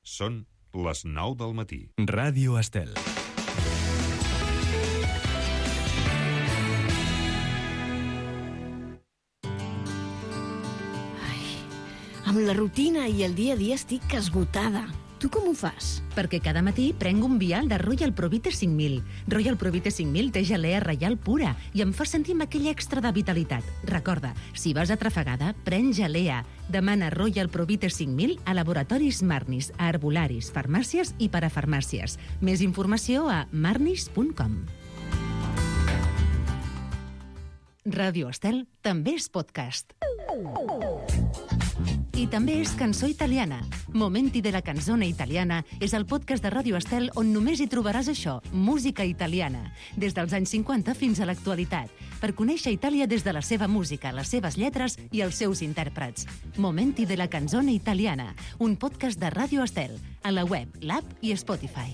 Són les 9 del matí. Ràdio Estel. Amb la rutina i el dia a dia estic esgotada. Tu com ho fas? Perquè cada matí prenc un vial de Royal Provite 5000. Royal Provite 5000 té gelea reial pura i em fa sentir amb aquell extra de vitalitat. Recorda, si vas atrafegada, pren gelea. Demana Royal Provite 5000 a laboratoris Marnis, a herbolaris, farmàcies i parafarmàcies. Més informació a marnis.com. Ràdio Estel també és podcast. I també és cançó italiana. Momenti de la canzone italiana és el podcast de Ràdio Estel on només hi trobaràs això, música italiana, des dels anys 50 fins a l'actualitat, per conèixer Itàlia des de la seva música, les seves lletres i els seus intèrprets. Momenti de la canzone italiana, un podcast de Ràdio Estel, a la web, l'app i Spotify.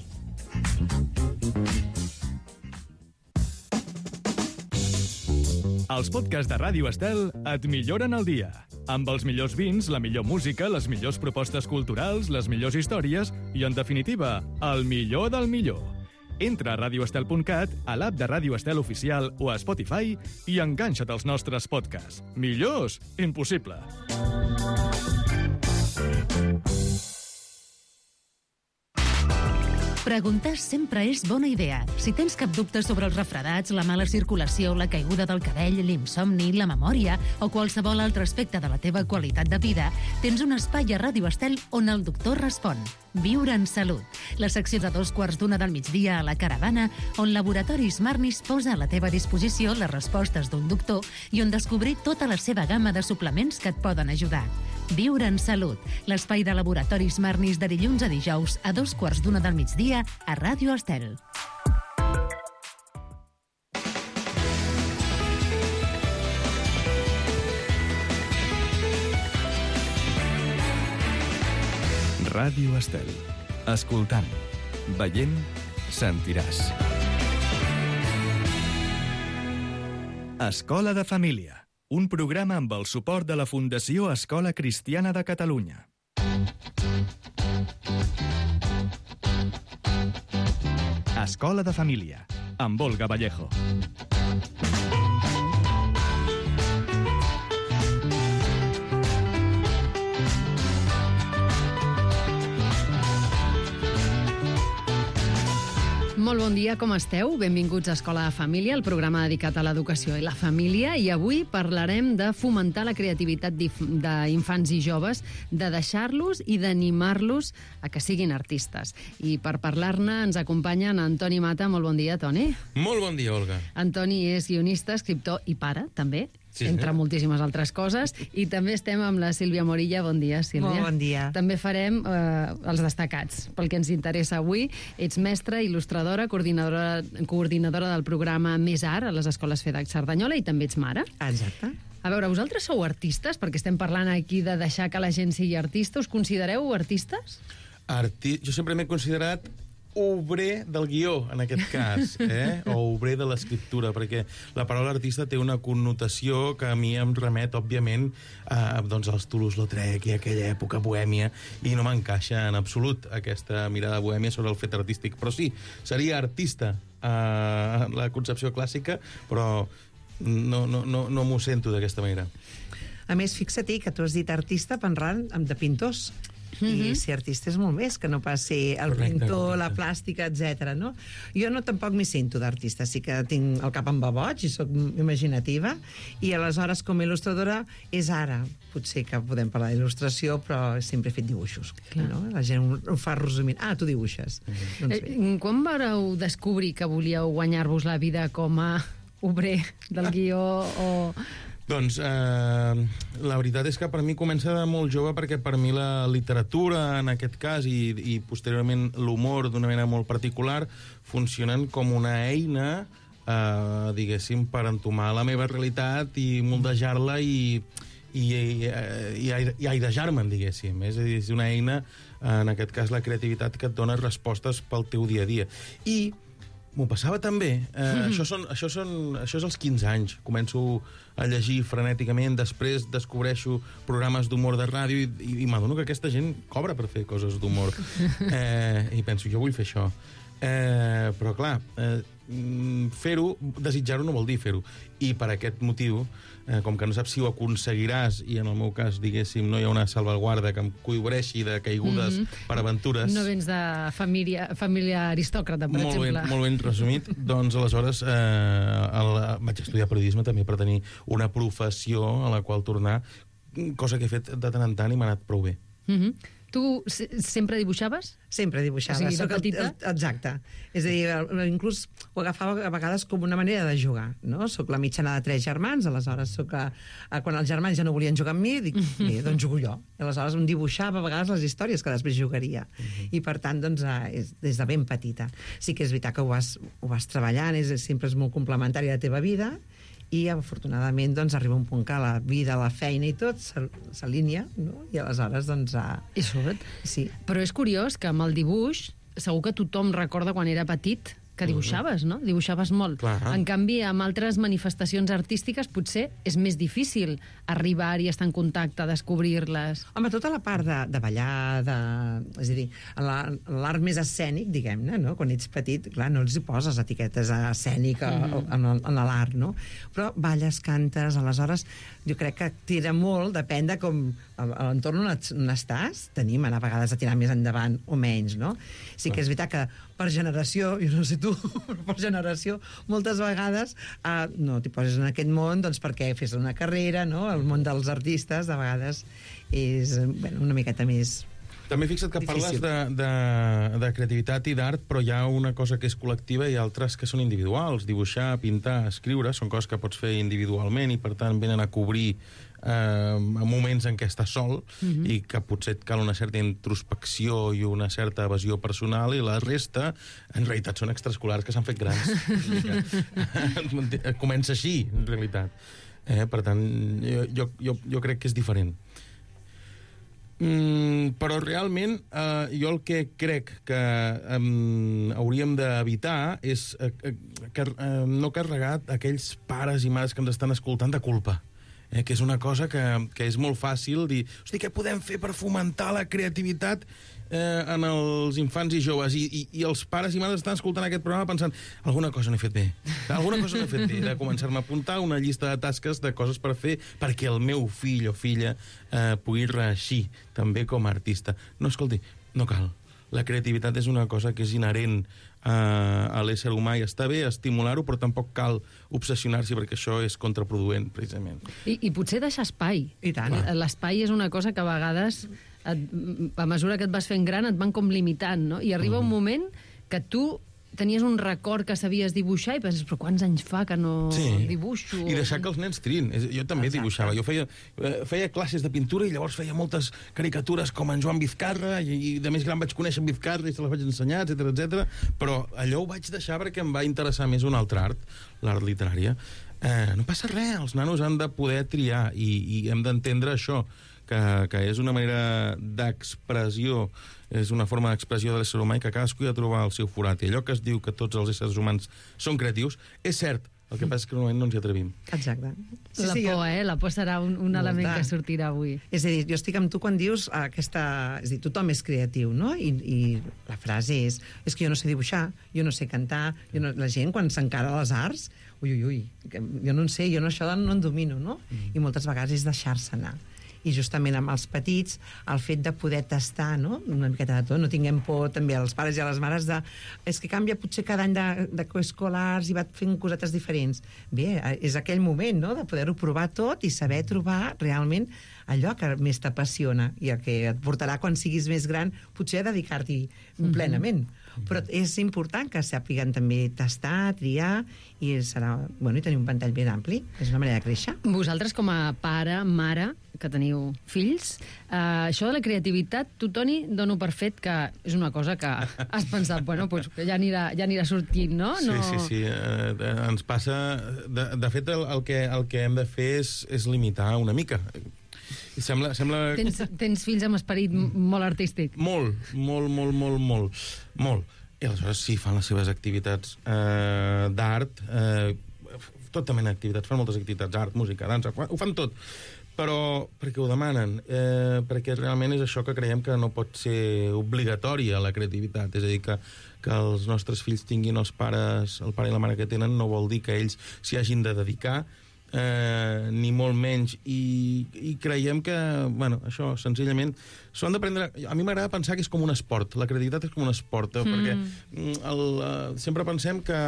Els podcasts de Ràdio Estel et milloren el dia. Amb els millors vins, la millor música, les millors propostes culturals, les millors històries i, en definitiva, el millor del millor. Entra a radioestel.cat, a l'app de Ràdio Estel Oficial o a Spotify i enganxa't als nostres podcasts. Millors? Impossible. Preguntar sempre és bona idea. Si tens cap dubte sobre els refredats, la mala circulació, la caiguda del cabell, l'insomni, la memòria o qualsevol altre aspecte de la teva qualitat de vida, tens un espai a Ràdio Estel on el doctor respon. Viure en salut. La secció de 2:15 del migdia a la Caravana, on Laboratoris Marnis posa a la teva disposició les respostes d'un doctor i on descobrir tota la seva gamma de suplements que et poden ajudar. Viure en salut. L'espai de Laboratoris Marnis de dilluns a dijous a 2:15 del migdia a Ràdio Estel. Ràdio Estel. Escoltant, veient, sentiràs. Escola de Família. Un programa amb el suport de la Fundació Escola Cristiana de Catalunya. Escola de Família, amb Olga Vallejo. Molt bon dia, com esteu? Benvinguts a Escola de Família, el programa dedicat a l'educació i la família, i avui parlarem de fomentar la creativitat d'infants i joves, de deixar-los i d'animar-los a que siguin artistes. I per parlar-ne ens acompanya Antoni Mata. Molt bon dia, Toni. Molt bon dia, Olga. Antoni és guionista, escriptor i pare, també. Sí, entre moltíssimes altres coses. I també estem amb la Sílvia Morilla. Bon dia, Sílvia. Molt bon dia. També farem els destacats, pel que ens interessa avui. Ets mestra, il·lustradora, coordinadora del programa Més Art a les escoles FEDAC Cerdanyola i també ets mare. Exacte. A veure, vosaltres sou artistes? Perquè estem parlant aquí de deixar que la gent sigui artista. Us considereu artistes? Jo sempre m'he considerat obrer del guió, en aquest cas, o obrer de l'escriptura, perquè la paraula artista té una connotació que a mi em remet, òbviament, als Toulouse-Lautrec i aquella època bohèmia, i no m'encaixa en absolut aquesta mirada bohèmia sobre el fet artístic. Però sí, seria artista en la concepció clàssica, però no m'ho sento d'aquesta manera. A més, fixa-t'hi que tu has dit artista pensant de pintors. I ser artista és molt més que no pas ser el pintor, la plàstica, etc. No? Jo tampoc m'hi sento d'artista, sí que tinc el cap en baboig i soc imaginativa, i aleshores com a il·lustradora és ara, potser que podem parlar d'il·lustració, però sempre he fet dibuixos, no? La gent ho fa resumint. Tu dibuixes. Doncs bé. Quan vareu descobrir que volíeu guanyar-vos la vida com a obrer del guió o... Doncs la veritat és que per mi comença de molt jove, perquè per mi la literatura, en aquest cas, i posteriorment l'humor d'una manera molt particular, funcionen com una eina, diguéssim, per entomar la meva realitat i moldejar-la i airejar-me'n, diguéssim. És a dir, és una eina, en aquest cas la creativitat, que et dona respostes pel teu dia a dia. I m'ho passava tan bé. Això és als 15 anys. Començo a llegir frenèticament, després descobreixo programes d'humor de ràdio i m'adono que aquesta gent cobra per fer coses d'humor. I penso, jo vull fer això. Però, clar, fer-ho, desitjar-ho no vol dir fer-ho. I per aquest motiu, com que no saps si ho aconseguiràs, i en el meu cas, diguéssim, no hi ha una salvaguarda que em cobreixi de caigudes per aventures... No vens de família aristòcrata, per exemple. Molt ben resumit. Doncs, aleshores, vaig estudiar periodisme també per tenir una professió a la qual tornar, cosa que he fet de tant en tant i m'ha anat prou bé. Tu sempre dibuixaves? Sempre dibuixava. O sigui, de petita? Exacte. És a dir, inclús ho agafava a vegades com una manera de jugar, no? Soc la mitjana de 3 germans, aleshores quan els germans ja no volien jugar amb mi, dic, bé, doncs jugo jo. I aleshores em dibuixava a vegades les històries que després jugaria. I per tant, doncs, des de ben petita. Sí que és veritat que ho vas treballant, sempre és molt complementari a la teva vida, i afortunadament doncs, arriba un punt que la vida, la feina i tot s'alinea, no? I aleshores doncs... I surt. Sí. Però és curiós que amb el dibuix segur que tothom recorda quan era petit que dibuixaves, no? Dibuixaves molt. Clar. En canvi, amb altres manifestacions artístiques potser és més difícil arribar i estar en contacte, descobrir-les. Home, tota la part de ballar, és a dir, l'art més escènic, diguem-ne, no? Quan ets petit, clar, no els hi poses etiquetes escèniques en l'art, no? Però balles, cantes, aleshores, jo crec que tira molt, depèn de com a l'entorn on estàs, tenim a vegades a tirar més endavant o menys, no? Sí que és veritat que per generació, jo no sé tu, però per generació, moltes vegades no t'hi poses en aquest món doncs perquè fes una carrera, no? El món dels artistes, de vegades, és una miqueta més... També fixa't que parles de creativitat i d'art, però hi ha una cosa que és col·lectiva i altres que són individuals. Dibuixar, pintar, escriure, són coses que pots fer individualment i, per tant, venen a cobrir moments en què estàs sol i que potser et cal una certa introspecció i una certa evasió personal, i la resta, en realitat, són extraescolars que s'han fet grans. Comença així, en realitat. Per tant, jo crec que és diferent. Però realment jo el que crec que hauríem d'evitar és no carregar aquells pares i mares que ens estan escoltant de culpa, que és una cosa que és molt fàcil dir, hosti, què podem fer per fomentar la creativitat en els infants i joves, i els pares i mares estan escoltant aquest programa pensant, alguna cosa no he fet bé, de començar-me a apuntar una llista de tasques de coses per fer perquè el meu fill o filla pugui reeixir també com a artista. No, escolti, no cal. La creativitat és una cosa que és inherent a l'ésser humà i està bé estimular-ho, però tampoc cal obsessionar-s'hi perquè això és contraproduent, precisament. I potser deixar espai. I tant. L'espai és una cosa que a vegades, a mesura que et vas fent gran, et van com limitant, no? I arriba un moment que tu tenies un record que sabies dibuixar i penses, però quants anys fa que no dibuixo? I deixar que els nens triïn. Jo també dibuixava. Jo feia classes de pintura i llavors feia moltes caricatures com en Joan Vizcarra, i de més gran vaig conèixer en Vizcarra i se les vaig ensenyar, etc. Però allò ho vaig deixar perquè em va interessar més un altre art, l'art literària. No passa res, els nanos han de poder triar i hem d'entendre això, que és una manera d'expressió, és una forma d'expressió de l'ésser humà i que cadascú ha de trobar el seu forat. I allò que es diu que tots els éssers humans són creatius, és cert, el que passa és que normalment no ens hi atrevim. Exacte. La por serà un element que sortirà avui. És a dir, jo estic amb tu quan dius aquesta... És a dir, tothom és creatiu, no? I la frase és que jo no sé dibuixar, jo no sé cantar, la gent quan s'encara a les arts, ui, jo no en sé, jo això no en domino, no? I moltes vegades és deixar-se anar. I justament amb els petits, el fet de poder tastar, no? Una miqueta de tot, no tinguem por també als pares i a les mares és que canvia potser cada any de coescolars i va fent cosetes diferents. Bé, és aquell moment, no?, de poder-ho provar tot i saber trobar realment allò que més t'apassiona i el que et portarà quan siguis més gran potser a dedicar-t'hi plenament. Però és important que sàpiguen també tastar, triar i tenir un ventall ben ampli. És una manera de créixer. Vosaltres com a pare, mare, que teniu fills, això de la creativitat, tu, Toni, dono per fet que és una cosa que has pensat, que ja anirà sortint, no? Sí. Ens passa... De fet, el que hem de fer és limitar una mica. Sembla... Tens fills amb esperit molt artístic. Molt. I aleshores sí, fan les seves activitats d'art, tot també activitats, fan moltes activitats, art, música, dansa, ho fan tot, però perquè ho demanen, perquè realment és això que creiem que no pot ser obligatòria la creativitat, és a dir, que els nostres fills tinguin el pare i la mare que tenen no vol dir que ells s'hi hagin de dedicar, ni molt menys, i creiem que, bueno, això, senzillament, s'ho han d'aprendre... A mi m'agrada pensar que és com un esport, la creativitat és com un esport, perquè sempre pensem que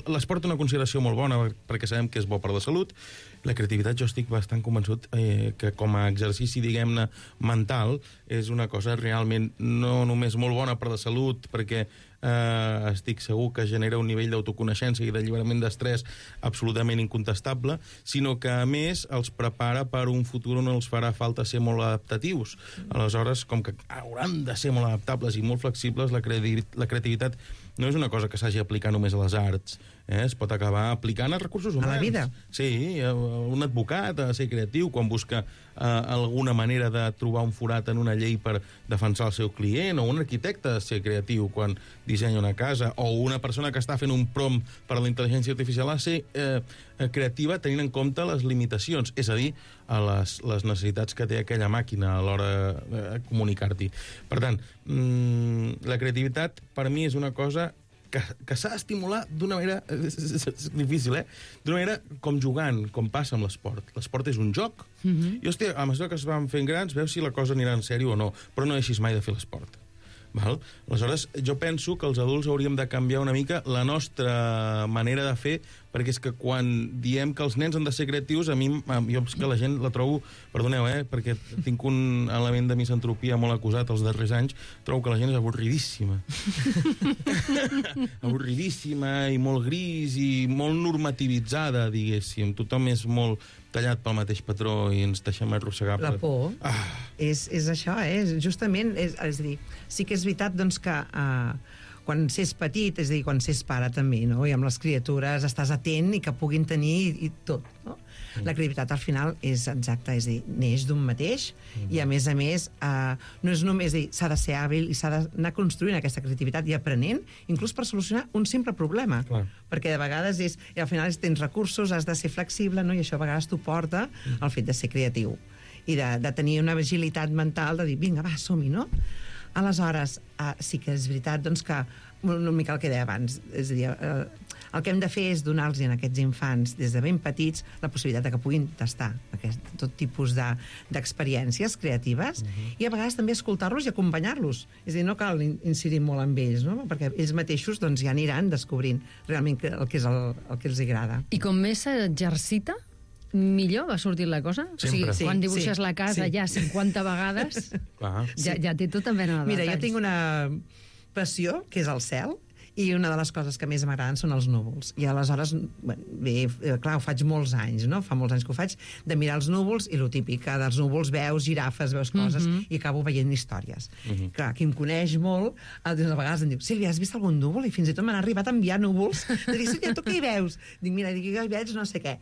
l'esport té una consideració molt bona, perquè sabem que és bo per la salut. La creativitat, jo estic bastant convençut que com a exercici, diguem-ne, mental, és una cosa realment no només molt bona per la salut, perquè estic segur que genera un nivell d'autoconeixença i d'alliberament d'estrès absolutament incontestable, sinó que, a més, els prepara per un futur on els farà falta ser molt adaptatius. Aleshores, com que hauran de ser molt adaptables i molt flexibles, la creativitat no és una cosa que s'hagi d'aplicar només a les arts, es pot acabar aplicant als recursos humans. A la vida. Sí, un advocat ha de ser creatiu quan busca alguna manera de trobar un forat en una llei per defensar el seu client, o un arquitecte ha de ser creatiu quan dissenya una casa, o una persona que està fent un prompt per a la intel·ligència artificial ha de ser creativa tenint en compte les limitacions, és a dir, a les necessitats que té aquella màquina a l'hora de comunicar-t'hi. Per tant, la creativitat per mi és una cosa que s'ha d'estimular d'una manera... És difícil, d'una manera com jugant, com passa amb l'esport. L'esport és un joc. I, hòstia, a mesura que es van fent grans, veus si la cosa anirà en sèrio o no, però no deixis mai de fer l'esport. Val? Aleshores, jo penso que els adults hauríem de canviar una mica la nostra manera de fer, perquè és que quan diem que els nens han de ser creatius, a mi, jo és que la gent la trobo, perdoneu, perquè tinc un element de misantropia molt acusat els darrers anys, trobo que la gent és avorridíssima. Avorridíssima i molt gris i molt normativitzada, diguéssim. Tothom és molt tallat pel mateix patró i ens deixem arrossegar. La por. És això, justament, és a dir, sí que és veritat doncs, que quan s'és petit, és a dir, quan s'és pare també, no? I amb les criatures estàs atent i que puguin tenir i tot, no? La creativitat al final és exacta, és a dir, neix d'un mateix i a més, no és només dir, s'ha de ser hàbil i s'ha d'anar construint aquesta creativitat i aprenent, inclús per solucionar un simple problema. Clar. Perquè de vegades i al final tens recursos, has de ser flexible, no? I això a vegades t'ho porta al fet de ser creatiu i de tenir una agilitat mental de dir, vinga, va, som-hi, no? Aleshores, sí que és veritat doncs, que una mica el que deia abans, és a dir, el que hem de fer és donar-los a aquests infants des de ben petits la possibilitat de que puguin tastar tot tipus d'experiències creatives i a vegades també escoltar-los i acompanyar-los. És a dir, no cal incidir molt amb ells, no? Perquè ells mateixos doncs, ja aniran descobrint realment el que és el que els agrada. I com més s'exercita, millor va sortir la cosa? Sempre. O sigui, quan dibuixes la casa ja 50 vegades, ja té tota mena de detalls. Mira, jo tinc una passió, que és el cel, i una de les coses que més m'agraden són els núvols. I aleshores, bé, clar, ho faig molts anys, no? Fa molts anys que ho faig, de mirar els núvols, i lo típic, que dels núvols veus girafes, veus coses, i acabo veient històries. Clar, qui em coneix molt, a vegades em diu, Sílvia, has vist algun núvol? I fins i tot m'han arribat a enviar núvols. De dir, Sílvia, tu què hi veus? Dic, mira, jo hi veig no sé què.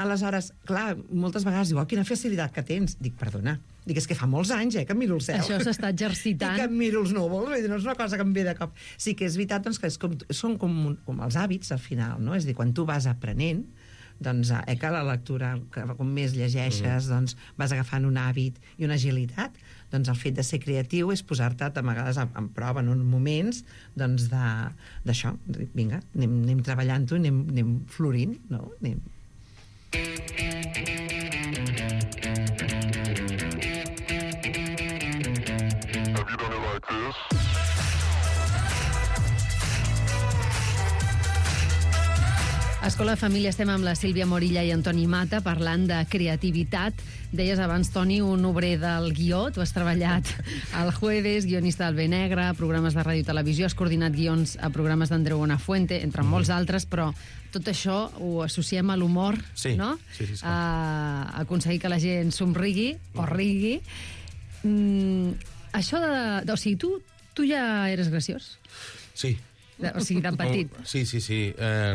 Aleshores, clar, moltes vegades diu, quina facilitat que tens. Dic, perdona. Dic, és que fa molts anys, que em miro el cel. Això s'està exercitant. I que em miro els núvols, no és una cosa que em ve de cop. Sí que és veritat doncs, que són com els hàbits, al final, no? És a dir, quan tu vas aprenent, doncs, que la lectura, que com més llegeixes, doncs, vas agafant un hàbit i una agilitat, doncs el fet de ser creatiu és posar-te a vegades en prova en uns moments doncs, d'això. Vinga, anem treballant-ho, anem florint, no? Escola de Família, estem amb la Sílvia Morilla i Antoni Mata parlant de creativitat. Deies abans, Toni, un obrer del guió. Tu has treballat al Jueves, guionista del Benegre, programes de ràdio i televisió, has coordinat guions a programes d'Andreu Buenafuente, entre molts altres, però tot això ho associem a l'humor, no? Sí. A aconseguir que la gent somrigui o rigui. Això de... O sigui, tu ja eres graciós? Sí. O sigui, de petit. Sí.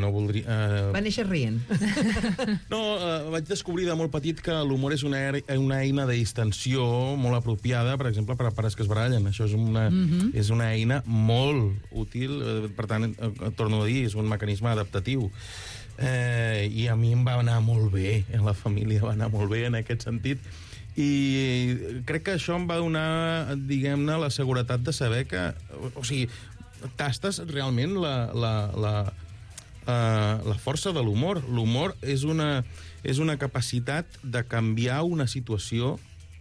No voldria... Va néixer rient. No, vaig descobrir de molt petit que l'humor és una eina de distensió molt apropiada, per exemple, per a pares que es barallen. Això és una eina molt útil, per tant, torno a dir, és un mecanisme adaptatiu. I a mi em va anar molt bé, la família va anar molt bé en aquest sentit, i crec que això em va donar, diguem-ne, la seguretat de saber que... O sigui, tastes realment la força de l'humor. L'humor és una capacitat de canviar una situació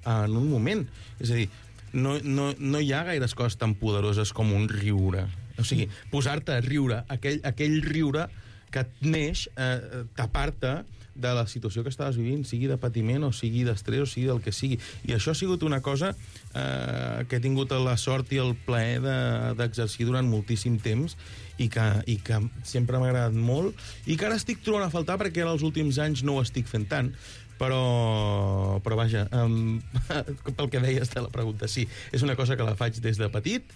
en un moment. És a dir, no hi ha gaires coses tan poderoses com un riure. O sigui, posar-te a riure, aquell riure que et neix, tapar-te de la situació que estaves vivint, sigui de patiment o sigui d'estrès o sigui del que sigui. I això ha sigut una cosa que he tingut la sort i el plaer d'exercir durant moltíssim temps i que sempre m'ha agradat molt i que ara estic trobant a faltar perquè ara els últims anys no ho estic fent tant. Però vaja, pel que deies de la pregunta, sí, és una cosa que la faig des de petit,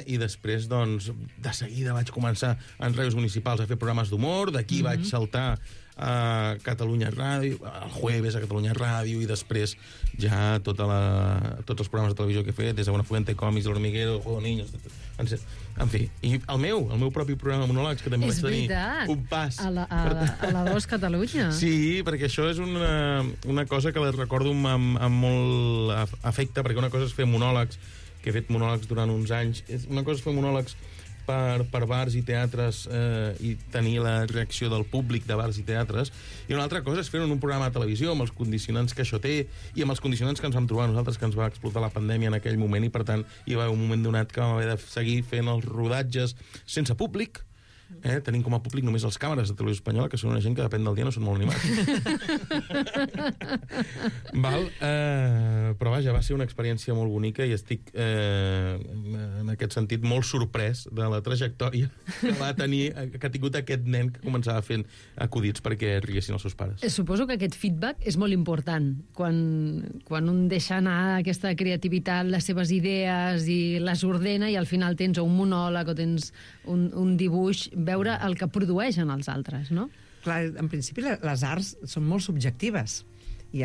i després, doncs, de seguida vaig començar en ràdios municipals a fer programes d'humor, d'aquí vaig saltar a Catalunya Ràdio, al Jueves a Catalunya Ràdio, i després ja tots els programes de televisió que he fet, des de Buenafuente, Còmics, L'Hormiguero, El Juego de Niños... En fi, i el meu propi programa de monòlegs, que també vaig tenir un pas. A la 2 Catalunya. Sí, perquè això és una cosa que la recordo amb molt afecte, perquè una cosa és fer monòlegs, que he fet monòlegs durant uns anys, una cosa és fer monòlegs per bars i teatres i tenir la reacció del públic de bars i teatres, i una altra cosa és fer-ho en un programa de televisió amb els condicionants que això té i amb els condicionants que ens vam trobar nosaltres, que ens va explotar la pandèmia en aquell moment, i per tant hi va haver un moment donat que vam haver de seguir fent els rodatges sense públic, tenim com a públic només els càmeres de Televisió Espanyola, que són una gent que depèn del dia no són molt animats. Però vaja, va ser una experiència molt bonica i estic en aquest sentit molt sorprès de la trajectòria que va tenir, que ha tingut aquest nen que començava fent acudits perquè riguessin els seus pares. Suposo que aquest feedback és molt important quan un deixa anar aquesta creativitat, les seves idees i les ordena, i al final tens un monòleg o tens un dibuix, veure el que produeixen els altres, no? Clar, en principi les arts són molt subjectives i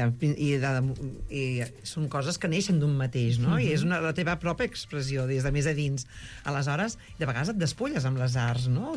són coses que neixen d'un mateix, no? I és la teva pròpia expressió des de més a dins. Aleshores, de vegades et despulles amb les arts, no?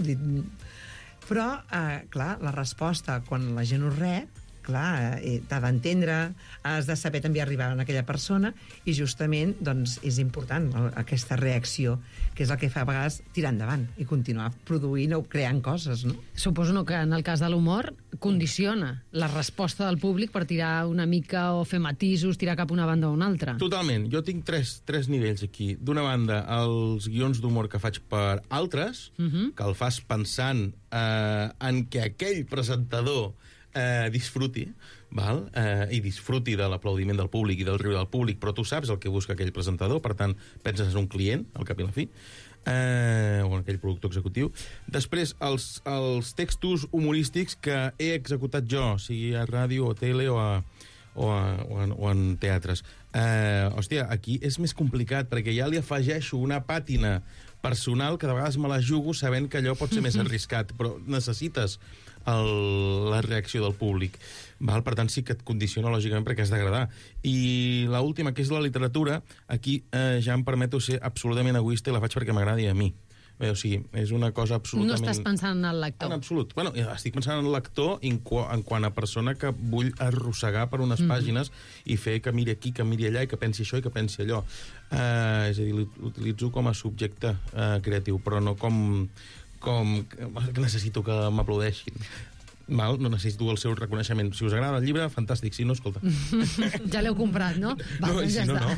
Però, clar, la resposta, quan la gent ho rep, clar, t'ha d'entendre, has de saber també arribar a aquella persona, i justament, doncs, és important aquesta reacció, que és el que fa a vegades tirar endavant i continuar produint o creant coses, no? Suposo que en el cas de l'humor condiciona la resposta del públic per tirar una mica o fer matisos, tirar cap una banda o una altra. Totalment. Jo tinc tres nivells aquí. D'una banda, els guions d'humor que faig per altres, que el fas pensant en que aquell presentador disfruti, i disfruti de l'aplaudiment del públic i del riure del públic, però tu saps el que busca aquell presentador, per tant, penses en un client, al cap i a la fi, o en aquell productor executiu. Després, els textos humorístics que he executat jo, sigui a ràdio o tele o en teatres. Hòstia, aquí és més complicat, perquè ja li afegeixo una pàtina personal que de vegades me la jugo sabent que allò pot ser més arriscat, però necessites la reacció del públic. Per tant, sí que et condiciona, lògicament, perquè has d'agradar. I l'última, que és la literatura, aquí ja em permeto ser absolutament egoista i la faig perquè m'agradi a mi. O sigui, és una cosa absolutament... No estàs pensant en el lector. En absolut. Bueno, estic pensant en el lector en quant a persona que vull arrossegar per unes pàgines i fer que miri aquí, que miri allà, i que pensi això i que pensi allò. És a dir, l'utilitzo com a subjecte creatiu, però no com que necessito que m'aplaudeixin. No necessito el seu reconeixement. Si us agrada el llibre, fantàstic. Si no, escolta. Ja l'heu comprat, no? Si no, no.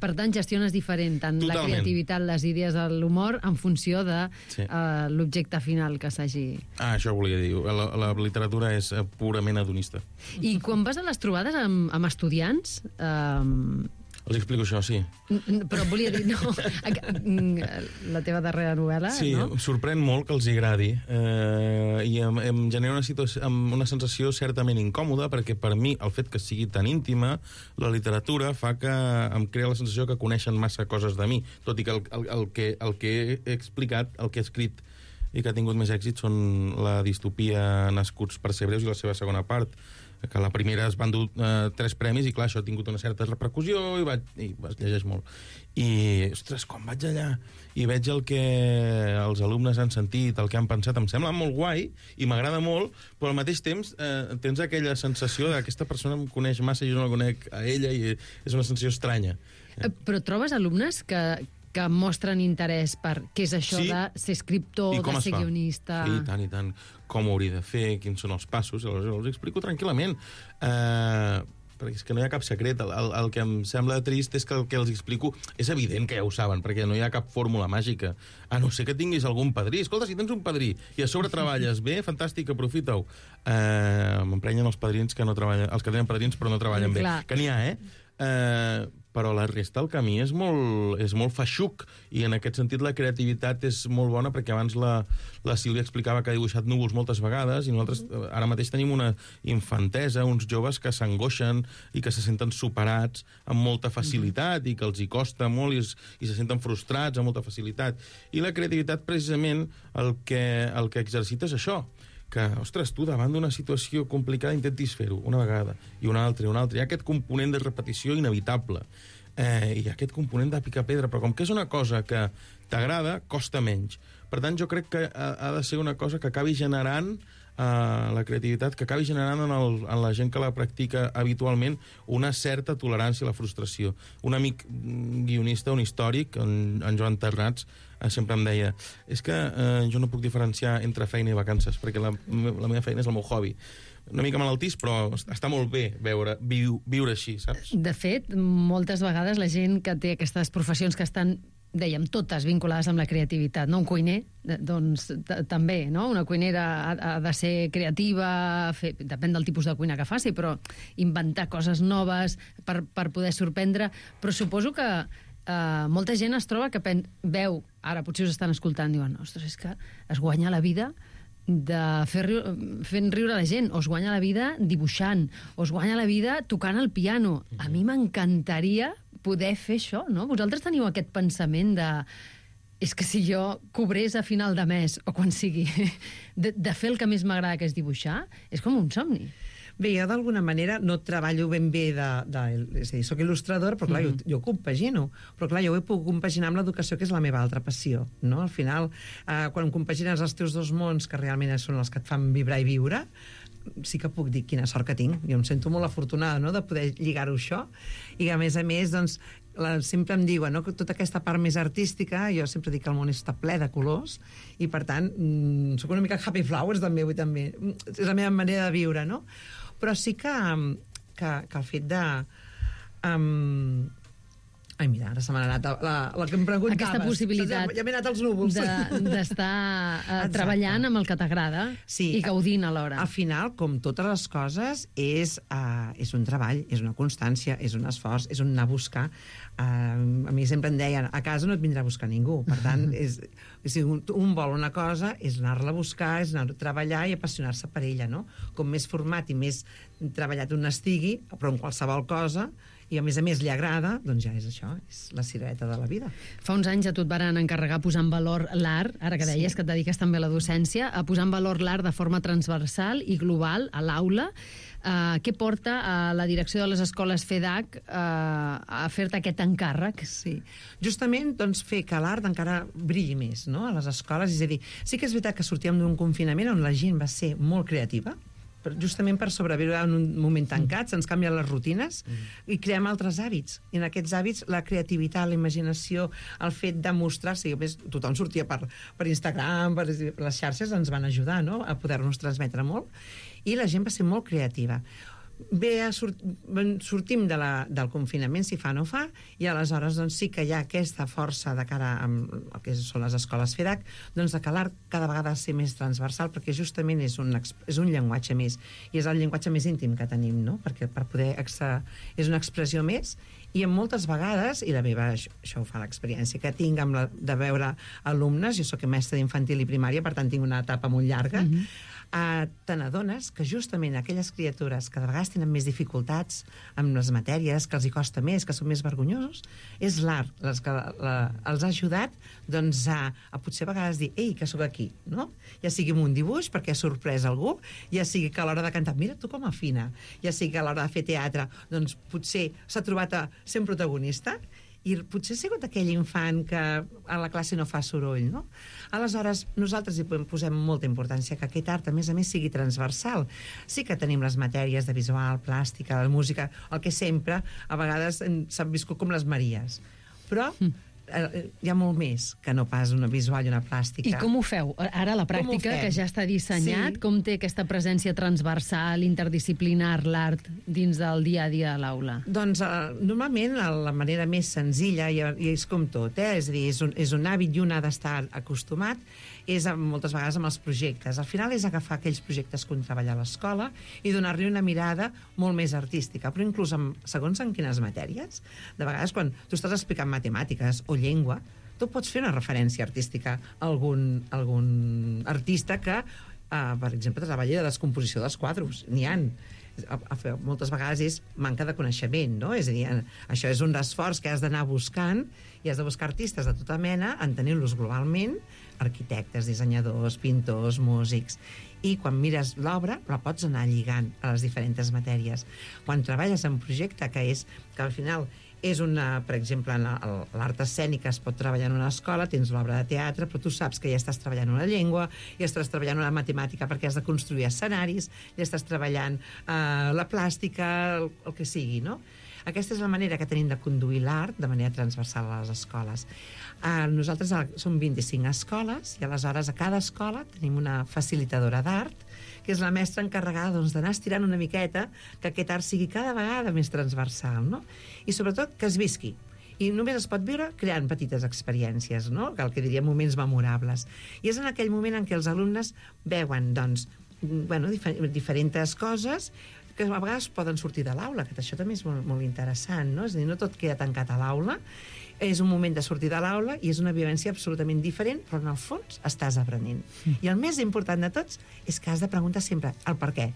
Per tant, gestiones diferent tant la creativitat, les idees de l'humor, en funció de l'objecte final que s'hagi... Això volia dir. La literatura és purament hedonista. I quan vas a les trobades amb estudiants... Els explico això, sí. Però volia dir, no, la teva darrera novel·la, sí, no? Sí, sorprèn molt que els agradi i em genera una sensació certament incòmoda, perquè per mi el fet que sigui tan íntima, la literatura fa que em crea la sensació que coneixen massa coses de mi, tot i que el que he explicat, el que he escrit i que ha tingut més èxit són la distopia Nascuts per ser breus i la seva segona part, que la primera es van dur 3 premis i clar, això ha tingut una certa repercussió i es llegeix molt. I, ostres, quan vaig allà i veig el que els alumnes han sentit, el que han pensat, em sembla molt guai i m'agrada molt, però al mateix temps tens aquella sensació d'aquesta persona em coneix massa i jo no la conec a ella i és una sensació estranya. Però trobes alumnes que mostren interès per què és això de ser escriptor, de ser guionista? Sí, i tant. Com ho hauria de fer, quins són els passos, els explico tranquil·lament. Perquè és que no hi ha cap secret. El que em sembla trist és que el que els explico és evident que ja ho saben, perquè no hi ha cap fórmula màgica. A no ser que tinguis algun padrí. Escolta, si tens un padrí i a sobre treballes bé, fantàstic, aprofita-ho. M'emprenyen els padrins que no treballen, els que tenen padrins però no treballen bé. Que n'hi ha, però la resta, el camí és molt feixuc, i en aquest sentit la creativitat és molt bona, perquè abans la Sílvia explicava que ha dibuixat núvols moltes vegades, i nosaltres ara mateix tenim una infantesa, uns joves que s'angoixen i que se senten superats amb molta facilitat i que els hi costa molt i se senten frustrats amb molta facilitat. I la creativitat, precisament, el que exercita és això, que, ostres, tu davant d'una situació complicada intentis fer-ho una vegada, i una altra, i una altra. Hi ha aquest component de repetició inevitable, i hi ha aquest component de picar pedra, però com que és una cosa que t'agrada, costa menys. Per tant, jo crec que ha de ser una cosa que acabi generant la creativitat, que acabi generant en la gent que la practica habitualment una certa tolerància a la frustració. Un amic guionista, un històric, en Joan Ternats, sempre em deia, és que jo no puc diferenciar entre feina i vacances, perquè la meva feina és el meu hobby. Una mica malaltís, però està molt bé viure així, saps? De fet, moltes vegades la gent que té aquestes professions que estan, dèiem, totes vinculades amb la creativitat, no? Un cuiner, doncs també, no? Una cuinera ha de ser creativa, depèn del tipus de cuina que faci, però inventar coses noves per poder sorprendre. Però suposo que molta gent es troba que veu, ara potser us estan escoltant, diuen, ostres, és que es guanya la vida fent riure la gent, o es guanya la vida dibuixant, o es guanya la vida tocant el piano. A mi m'encantaria poder fer això, no? Vosaltres teniu aquest pensament de és que si jo cobrés a final de mes, o quan sigui, de fer el que més m'agrada, que és dibuixar, és com un somni. Bé, jo d'alguna manera no treballo ben bé és a dir, soc il·lustrador, però clar, jo ho compagino. Però clar, jo ho he pogut compaginar amb l'educació, que és la meva altra passió, no? Al final, quan compagines els teus dos mons, que realment són els que et fan vibrar i viure, sí que puc dir quina sort que tinc. Jo em sento molt afortunada, no?, de poder lligar-ho això. I a més, doncs, sempre em diuen, no?, que tota aquesta part més artística, jo sempre dic que el món està ple de colors, i per tant, sóc una mica happy flowers també, és la meva manera de viure, no? Però sí que el fet de... Ai, mira, ara se m'ha anat la que em preguntaves. Aquesta possibilitat ja m'he anat als núvols. D'estar treballant amb el que t'agrada, sí, i gaudint alhora. Al final, com totes les coses, és un treball, és una constància, és un esforç, és un anar a buscar. A mi sempre em deien, a casa no et vindrà a buscar ningú. Per tant, si un vol una cosa, és anar-la a buscar, és anar a treballar i apassionar-se per ella, no? Com més format i més treballat un estigui, però en qualsevol cosa, i a més li agrada, doncs ja és això, és la cirereta de la vida. Fa uns anys a tu et van encarregar posar en valor l'art, ara que deies que et dediques també a la docència, a posar en valor l'art de forma transversal i global a l'aula. Què porta a la direcció de les escoles FEDAC a fer-te aquest encàrrec? Sí, justament doncs, fer que l'art encara brilli més, no?, a les escoles. És a dir, sí que és veritat que sortíem d'un confinament on la gent va ser molt creativa, justament per sobreviure en un moment tancat, se'ns canvien les rutines i creem altres hàbits. I en aquests hàbits la creativitat, la imaginació, el fet de mostrar-se, i tothom sortia per Instagram, per les xarxes ens van ajudar, no?, a poder-nos transmetre molt, i la gent va ser molt creativa. sortim del confinament, si fa o no fa, i aleshores doncs, sí que hi ha aquesta força de cara a el que són les escoles FEDAC, doncs de que l'art cada vegada ser més transversal, perquè justament és un llenguatge més, i és el llenguatge més íntim que tenim, no? Perquè per poder és una expressió més, i en moltes vegades, i la meva, això ho fa l'experiència que tinc de veure alumnes, jo soc mestra d'infantil i primària, per tant tinc una etapa molt llarga, te n'adones que justament aquelles criatures que de vegades tenen més dificultats amb les matèries, que els hi costa més, que són més vergonyosos, és l'art que els ha ajudat doncs, a potser a vegades dir ei, que sóc aquí, no? Ja sigui amb un dibuix perquè ha sorprès algú, ja sigui que a l'hora de cantar, mira tu com afina, ja sigui que a l'hora de fer teatre doncs potser s'ha trobat a ser un protagonista, i potser ha sigut aquell infant que a la classe no fa soroll, no? Aleshores, nosaltres hi posem molta importància que aquest art, a més, sigui transversal. Sí que tenim les matèries de visual, plàstica, de música, el que sempre, a vegades, s'han viscut com les Maries. Però hi ha molt més que no pas una visual i una plàstica. I com ho feu? Ara la pràctica, que ja està dissenyat, com té aquesta presència transversal, interdisciplinar, l'art, dins del dia a dia a l'aula? Doncs, normalment, la manera més senzilla, i és com tot, és a dir, és un hàbit i un ha d'estar acostumat, és moltes vegades amb els projectes. Al final és agafar aquells projectes que un treballa a l'escola i donar-li una mirada molt més artística, però inclús segons en quines matèries. De vegades, quan tu estàs explicant matemàtiques o llengua, tu pots fer una referència artística a algun artista que, per exemple, treballa de descomposició dels quadros. N'hi ha. Moltes vegades és manca de coneixement, no? És a dir, això és un esforç que has d'anar buscant i has de buscar artistes de tota mena, entenent-los globalment, arquitectes, dissenyadors, pintors, músics, i quan mires l'obra la pots anar lligant a les diferents matèries. Quan treballes en un projecte que al final és per exemple, l'art escènic es pot treballar en una escola, tens l'obra de teatre, però tu saps que ja estàs treballant una llengua, ja estàs treballant una matemàtica perquè has de construir escenaris, ja estàs treballant la plàstica, el que sigui, no? Aquesta és la manera que tenim de conduir l'art de manera transversal a les escoles. Nosaltres som 25 escoles i aleshores a cada escola tenim una facilitadora d'art, que és la mestra encarregada d'anar estirant una miqueta que aquest art sigui cada vegada més transversal, no? I sobretot que es visqui. I només es pot viure creant petites experiències, no? El que diríem moments memorables. I és en aquell moment en què els alumnes veuen diferents coses que a vegades poden sortir de l'aula, que això també és molt, molt interessant, no? És a dir, no tot queda tancat a l'aula, és un moment de sortir de l'aula i és una vivència absolutament diferent, però en el fons estàs aprenent. I el més important de tots és que has de preguntar sempre el per què,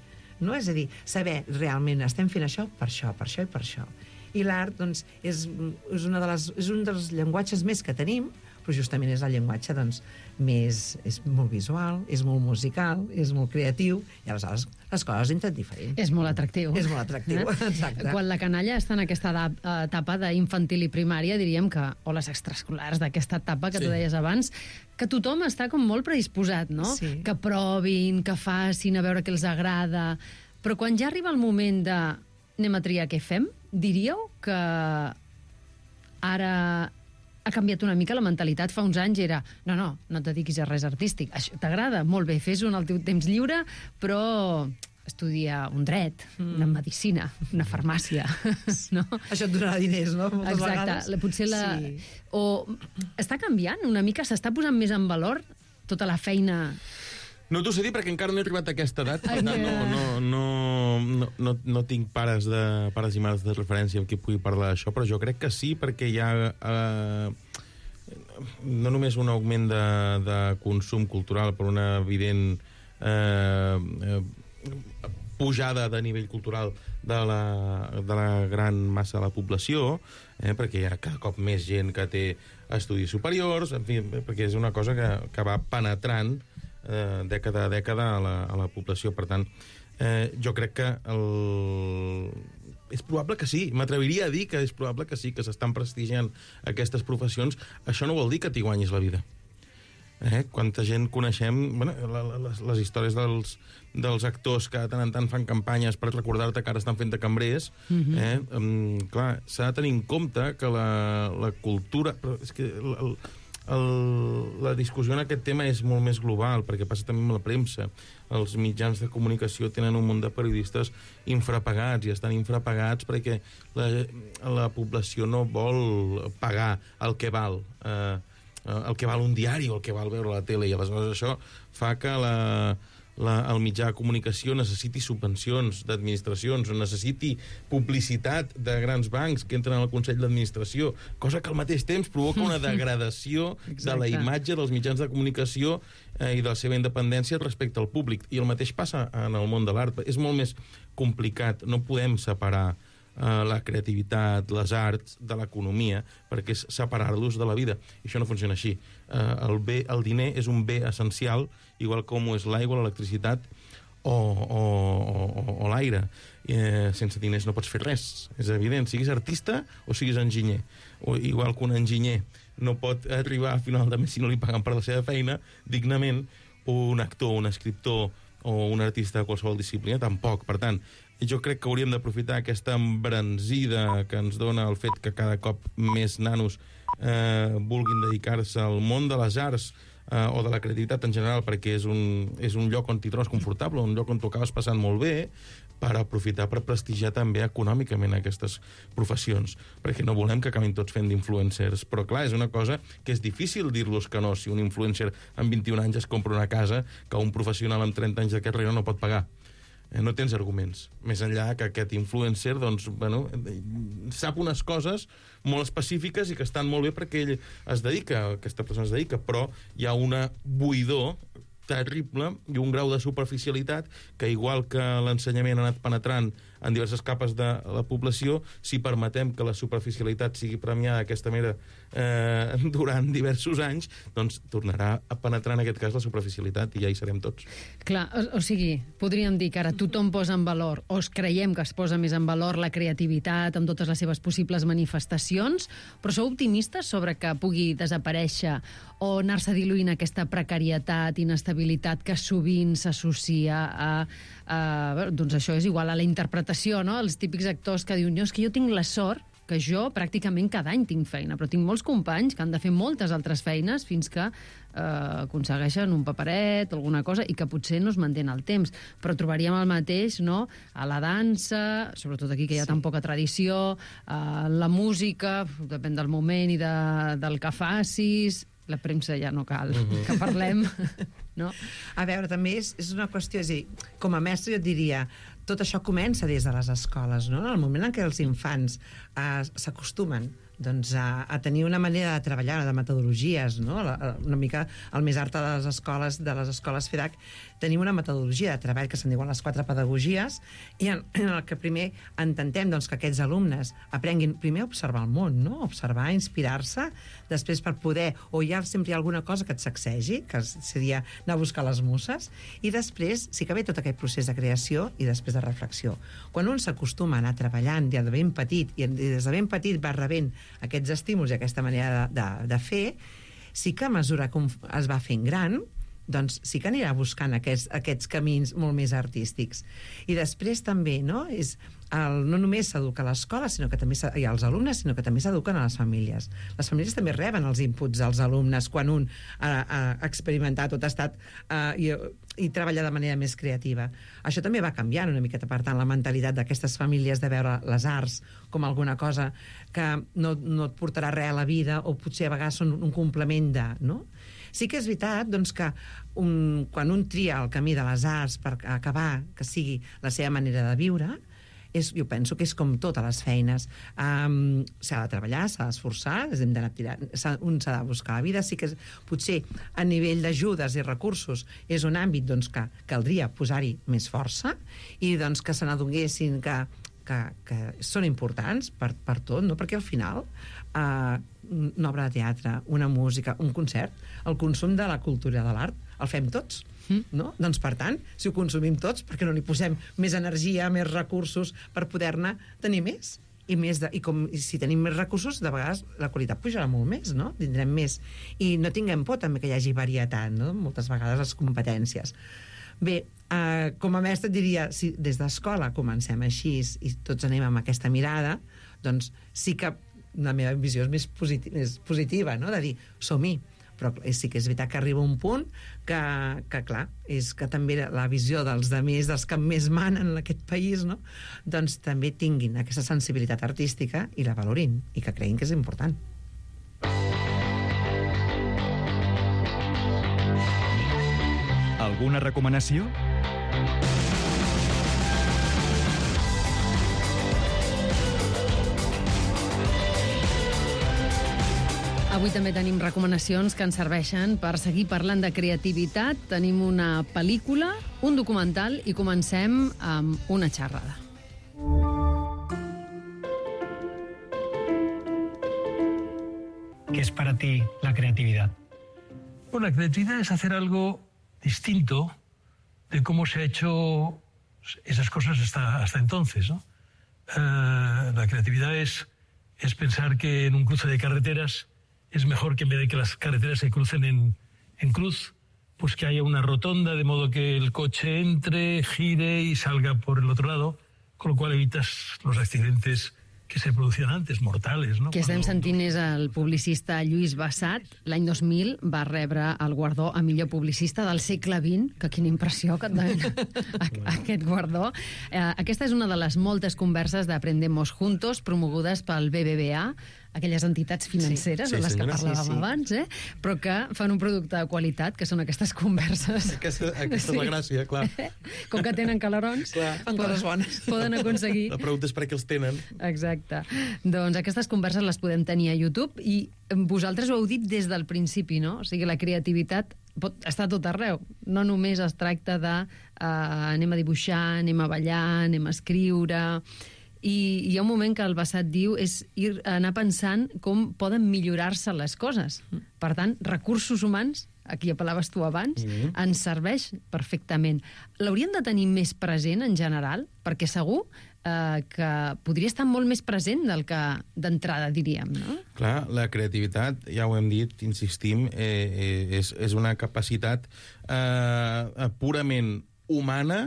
no? És a dir, saber realment estem fent això per això, per això i per això. I l'art, doncs, és un dels llenguatges més que tenim, però justament és el llenguatge és molt visual, és molt musical, és molt creatiu, i aleshores les coses entren diferent. És molt atractiu. És molt atractiu, exacte. Quan la canalla està en aquesta etapa d'infantil i primària, diríem que, o les extraescolars d'aquesta etapa que tu deies abans, que tothom està com molt predisposat, no? Sí. Que provin, que facin, a veure què els agrada. Però quan ja arriba el moment de anem a triar què fem, diríeu que ara ha canviat una mica la mentalitat. Fa uns anys era, no et dediquis a res artístic. Això t'agrada? Molt bé, fes-ho en el teu temps lliure, però estudia un dret, una medicina, una farmàcia, no? Això et donarà diners, no? Moltes vegades. Potser Sí. O està canviant una mica, s'està posant més en valor tota la feina. No t'ho sé dir perquè encara no he arribat a aquesta edat, per tant no tinc pares i mares de referència amb qui pugui parlar d'això, però jo crec que sí, perquè hi ha no només un augment de consum cultural, però una evident pujada de nivell cultural de la gran massa de la població, perquè hi ha cada cop més gent que té estudis superiors, en fi, perquè és una cosa que va penetrant dècada a dècada a la població. Per tant, jo crec que és probable que sí, m'atreviria a dir que és probable que sí, que s'estan prestigiant aquestes professions. Això no vol dir que t'hi guanyis la vida. Quanta gent coneixem, les històries dels actors que de tant en tant fan campanyes per recordar-te que ara estan fent de cambrers. Clar, s'ha de tenir en compte que la cultura... Però és que la discussió en aquest tema és molt més global, perquè passa també amb la premsa. Els mitjans de comunicació tenen un munt de periodistes infrapagats, i estan infrapagats perquè la població no vol pagar el que val un diari o el que val veure la tele, i aleshores això fa que el mitjà de comunicació necessiti subvencions d'administracions, o necessiti publicitat de grans bancs que entren al Consell d'Administració, cosa que al mateix temps provoca una degradació de la imatge dels mitjans de comunicació i de la seva independència respecte al públic. I el mateix passa en el món de l'art. És molt més complicat. No podem separar la creativitat, les arts, de l'economia, perquè és separar-los de la vida. I això no funciona així. El diner és un bé essencial, igual com ho és l'aigua, l'electricitat o l'aire. Sense diners no pots fer res, és evident, siguis artista o siguis enginyer. O igual que un enginyer no pot arribar a final de mes si no li paguen per la seva feina dignament, un actor, un escriptor o un artista de qualsevol disciplina tampoc. Per tant, jo crec que hauríem d'aprofitar aquesta embranzida que ens dona el fet que cada cop més nanos vulguin dedicar-se al món de les arts o de la creativitat en general, perquè és un lloc on t'hi trobes confortable, un lloc on t'ho acabes passant molt bé, per aprofitar per prestigiar també econòmicament aquestes professions, perquè no volem que acabin tots fent d'influencers. Però clar, és una cosa que és difícil dir-los que no, si un influencer amb 21 anys es compra una casa que un professional amb 30 anys de carrera no pot pagar. No tens arguments. Més enllà que aquest influencer sap unes coses molt específiques i que estan molt bé perquè ell aquesta persona es dedica, però hi ha una buidor terrible i un grau de superficialitat que, igual que l'ensenyament ha anat penetrant en diverses capes de la població, si permetem que la superficialitat sigui premiada d'aquesta manera durant diversos anys, doncs tornarà a penetrar en aquest cas la superficialitat i ja hi serem tots. Clar, o sigui, podríem dir que ara tothom posa en valor, o creiem que es posa més en valor la creativitat amb totes les seves possibles manifestacions, però sou optimistes sobre que pugui desaparèixer o anar-se diluint aquesta precarietat, inestabilitat que sovint s'associa doncs això és igual a la interpretació, no? Els típics actors que diuen, és que jo tinc la sort que jo pràcticament cada any tinc feina, però tinc molts companys que han de fer moltes altres feines fins que aconsegueixen un paperet o alguna cosa i que potser no es manté en el temps. Però trobaríem el mateix, no?, a la dansa, sobretot aquí que hi ha tan poca tradició, la música, depèn del moment i del que facis. La premsa ja no cal que parlem, no? A veure, també és una qüestió, és a dir, com a mestre jo et diria, tot això comença des de les escoles, no? En el moment en què els infants s'acostumen doncs, a tenir una manera de treballar, de metodologies, no? Una mica el més art de les escoles FEDAC, tenim una metodologia de treball que se'n diuen les 4 pedagogies, i en el que primer intentem doncs, que aquests alumnes aprenguin primer a observar el món, no? Observar, inspirar-se, després per poder, o sempre hi ha alguna cosa que et sacsegi, que seria anar a buscar les muses, i després sí que ve tot aquest procés de creació i després de reflexió. Quan un s'acostuma a anar treballant ja de ben petit, i des de ben petit va rebent aquests estímuls i aquesta manera de fer, sí que a mesura que es va fent gran, doncs sí que anirà buscant aquests camins molt més artístics. I després també, no només s'educa a l'escola, sinó que també hi ha els alumnes, sinó que també s'eduquen a les famílies. Les famílies també reben els inputs dels alumnes quan un ha experimentat o ha estat i treballa de manera més creativa. Això també va canviant una miqueta, per tant, la mentalitat d'aquestes famílies de veure les arts com alguna cosa que no et portarà res a la vida, o potser a vegades són un complement de, no? Sí que és veritat doncs, que quan un tria el camí de les arts per acabar que sigui la seva manera de viure, jo penso que és com totes les feines. S'ha de treballar, s'ha d'esforçar, un s'ha de buscar la vida. Sí que potser a nivell d'ajudes i recursos és un àmbit doncs, que caldria posar-hi més força i doncs, que se n'adonguessin que són importants per tot, no? Perquè al final una obra de teatre, una música, un concert, el consum de la cultura i de l'art el fem tots, no? Doncs per tant, si ho consumim tots, per què no li posem més energia, més recursos per poder-ne tenir més? I si tenim més recursos, de vegades la qualitat pujarà molt més, no? Tindrem més. I no tinguem por també que hi hagi varietat, no? Moltes vegades les competències. Bé, com a mestre et diria, si des d'escola comencem així i tots anem amb aquesta mirada, doncs sí que la meva visió és més positiva, no? De dir, som-hi, Però sí que és veritat que arriba un punt que clar, és que també la visió dels demés, dels que més manen en aquest país, no? Doncs també tinguin aquesta sensibilitat artística i la valorin, i que creguin que és important. Alguna recomanació? Avui també tenim recomanacions que ens serveixen per seguir parlant de creativitat. Tenim una pel·lícula, un documental i comencem amb una xerrada. ¿Qué es para ti la creatividad? Bueno, la creatividad es hacer algo distinto de cómo se ha hecho esas cosas hasta entonces, ¿no? La creatividad es pensar que en un cruce de carreteras es mejor que en vez de que las carreteras se crucen en cruz, pues que haya una rotonda de modo que el coche entre, gire y salga por el otro lado, con lo cual evitas los accidentes que se producien antes, mortals, no? Qui estem sentint és el publicista Lluís Bassat. L'any 2000 va rebre el guardó a millor publicista del segle XX, que quina impressió que et donen aquest guardó. Aquesta és una de les moltes converses d'Aprendemos Juntos, promogudes pel BBVA, aquelles entitats financeres de les que parlàvem abans, però que fan un producte de qualitat, que són aquestes converses. Aquesta és la gràcia, clar. Com que tenen calarons, Fan coses bones. poden aconseguir... La pregunta és per què els tenen. Exacte. Doncs aquestes converses les podem tenir a YouTube i vosaltres ho heu dit des del principi, no? O sigui, la creativitat pot estar a tot arreu. No només es tracta de anem a dibuixar, anem a ballar, anem a escriure... I hi ha un moment que el Bassat diu és anar pensant com poden millorar-se les coses. Per tant, recursos humans, a qui apel·laves tu abans, ens serveix perfectament. L'hauríem de tenir més present en general, perquè segur que podria estar molt més present del que d'entrada diríem, no? Clar, la creativitat, ja ho hem dit, insistim, és una capacitat purament humana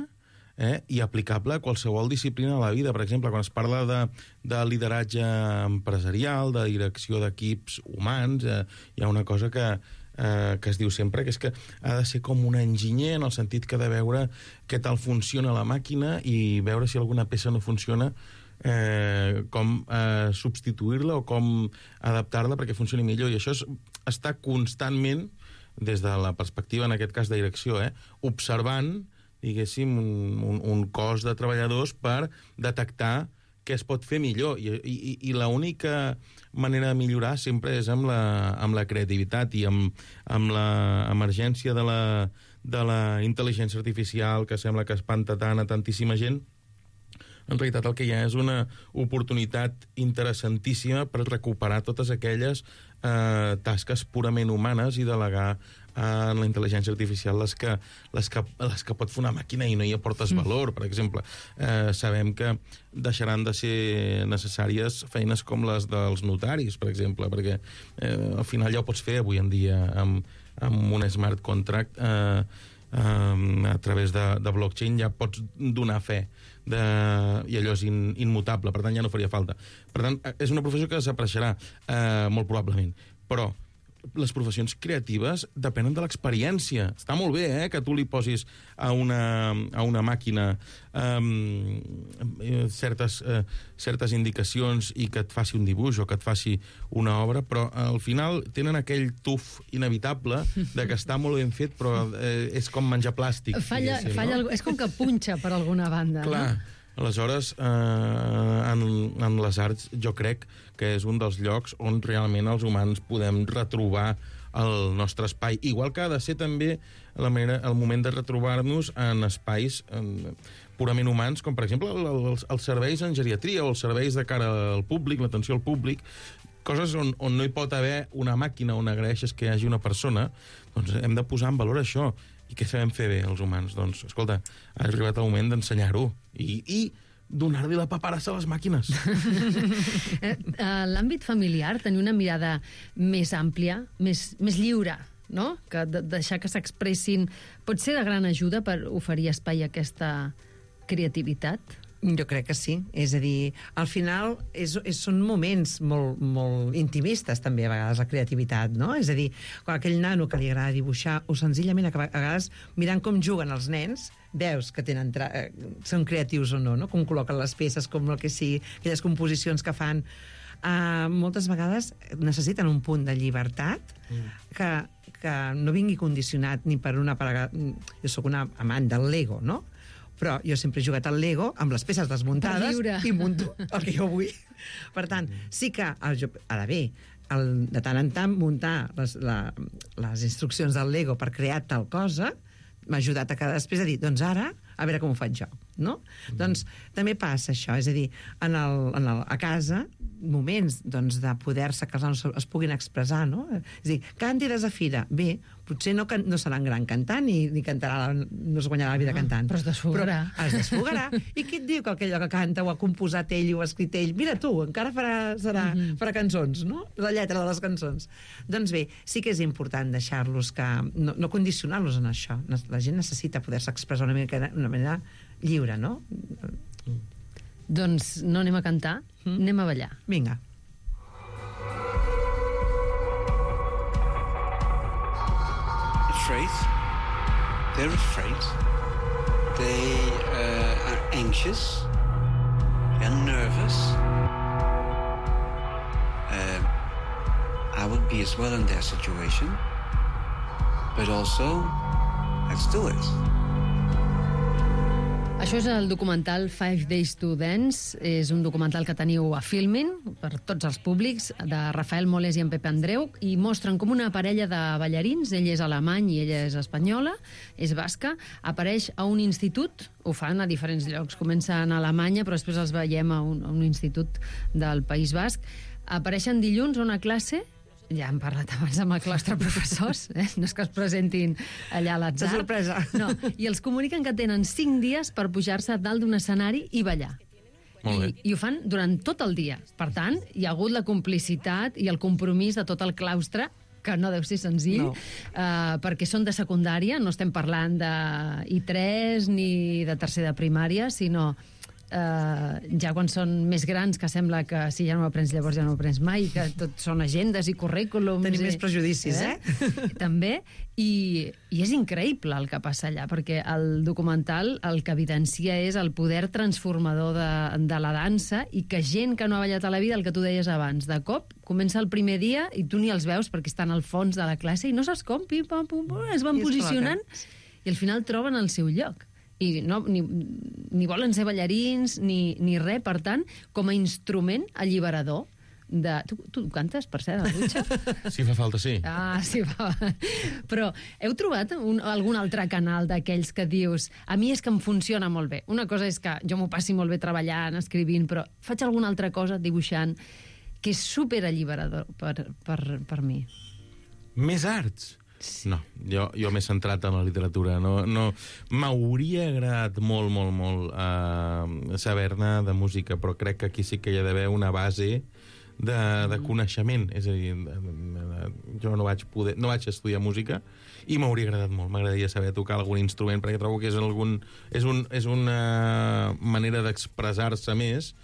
i aplicable a qualsevol disciplina de la vida. Per exemple, quan es parla de lideratge empresarial, de direcció d'equips humans, hi ha una cosa que es diu sempre, que és que ha de ser com un enginyer, en el sentit que ha de veure què tal funciona la màquina i veure si alguna peça no funciona, com substituir-la o com adaptar-la perquè funcioni millor. I això està constantment, des de la perspectiva, en aquest cas de direcció, observant, diguéssim, un cos de treballadors per detectar què es pot fer millor. I l'única manera de millorar sempre és amb la creativitat i amb l'emergència de la intel·ligència artificial, que sembla que espanta tant a tantíssima gent. En realitat el que hi ha és una oportunitat interessantíssima per recuperar totes aquelles tasques purament humanes i delegar en la intel·ligència artificial les que pot fer una màquina i no hi aportes valor. Per exemple, sabem que deixaran de ser necessàries feines com les dels notaris, per exemple, perquè al final ja ho pots fer avui en dia amb un smart contract, a través de blockchain ja pots donar fe i allò és immutable, per tant ja no faria falta. Per tant, és una professió que desapareixerà molt probablement, però les professions creatives depenen de l'experiència. Està molt bé que tu li posis a una màquina certes indicacions i que et faci un dibuix o que et faci una obra, però al final tenen aquell tuf inevitable de que està molt ben fet, però és com menjar plàstic. Falla, és com que punxa per alguna banda. Clar. No? Aleshores, en les arts jo crec que és un dels llocs on realment els humans podem retrobar el nostre espai. Igual que ha de ser també el moment de retrobar-nos en espais purament humans, com per exemple els serveis en geriatria o els serveis de cara al públic, l'atenció al públic, coses on no hi pot haver una màquina on agraeixes que hi hagi una persona, doncs hem de posar en valor això. I què sabem fer bé, els humans? Doncs, escolta, ha arribat el moment d'ensenyar-ho i donar-li la paperassa a les màquines. L'àmbit familiar, tenir una mirada més àmplia, més lliure, no? Que deixar que s'expressin, pot ser de gran ajuda per oferir espai a aquesta creativitat? Jo crec que sí. És a dir, al final són moments molt intimistes, també, a vegades, la creativitat, no? És a dir, quan aquell nano que li agrada dibuixar, o senzillament, a vegades, mirant com juguen els nens, veus que són creatius o no? Com col·loquen les peces, com el que sigui, aquelles composicions que fan. Moltes vegades necessiten un punt de llibertat que no vingui condicionat ni per una... Jo sóc una amant del Lego, no? Però jo sempre he jugat al Lego amb les peces desmuntades i munto el que jo vull. Per tant, sí que ara bé, de tant en tant muntar les instruccions del Lego per crear tal cosa m'ha ajudat a després a dir, doncs ara, a veure com ho faig jo, no? Doncs també passa això, és a dir, a casa, moments de poder-se que els nanos es puguin expressar, no? És a dir, canti desafina. Bé, potser no serà un gran cantant ni cantarà, no es guanyarà la vida cantant. Però es desfogarà. Però es desfogarà. I qui et diu que aquell que canta ho ha composat ell i ho ha escrit ell? Mira tu, encara farà cançons, no? La lletra de les cançons. Doncs bé, sí que és important deixar-los no condicionar-los en això. La gent necessita poder-se expressar d'una manera lliure, no? Doncs no anem a cantar, anem a ballar. Vinga. They're afraid. They are anxious. They're nervous. I would be as well in their situation. But also, let's do it. Això és el documental 5 Days to Dance. És un documental que teniu a Filmin, per tots els públics, de Rafael Moles i en Pepe Andreu, i mostren com una parella de ballarins, ell és alemany i ella és espanyola, és basca, apareix a un institut, ho fan a diferents llocs, comencen a Alemanya, però després els veiem a un institut del País Basc. Apareixen dilluns a una classe. Ja hem parlat abans amb el claustre professors, no és que es presentin allà a l'atzar. De sorpresa. No, i els comuniquen que tenen 5 dies per pujar-se dalt d'un escenari i ballar. I ho fan durant tot el dia. Per tant, hi ha hagut la complicitat i el compromís de tot el claustre, que no deu ser senzill, perquè són de secundària, no estem parlant de I3 ni de tercer de primària, sinó... ja quan són més grans, que sembla que si ja no ho aprens llavors ja no ho aprens mai, que tot són agendes i currículums. Tenim més prejudicis, També, i és increïble el que passa allà, perquè el documental el que evidencia és el poder transformador de la dansa, i que gent que no ha ballat a la vida, el que tu deies abans, de cop comença el primer dia i tu ni els veus perquè estan al fons de la classe i no saps com, pim, pam, pum, pum, es van posicionant i al final troben el seu lloc. I no, ni volen ser ballarins ni res, per tant, com a instrument alliberador de... Tu cantes, per cert, a la dutxa? Si fa falta, sí. Sí, fa... Però heu trobat algun altre canal d'aquells que dius a mi és que em funciona molt bé? Una cosa és que jo m'ho passi molt bé treballant, escrivint, però faig alguna altra cosa dibuixant que és superalliberador per mi. Més arts? No, jo m'he centrat en la literatura. No, m'hauria agradat molt saber-ne de música, però crec que aquí sí que hi ha d'haver una base de coneixement. És a dir, jo no vaig estudiar música i m'hauria agradat molt. M'agradaria saber tocar algun instrument, perquè trobo que és una manera d'expressar-se més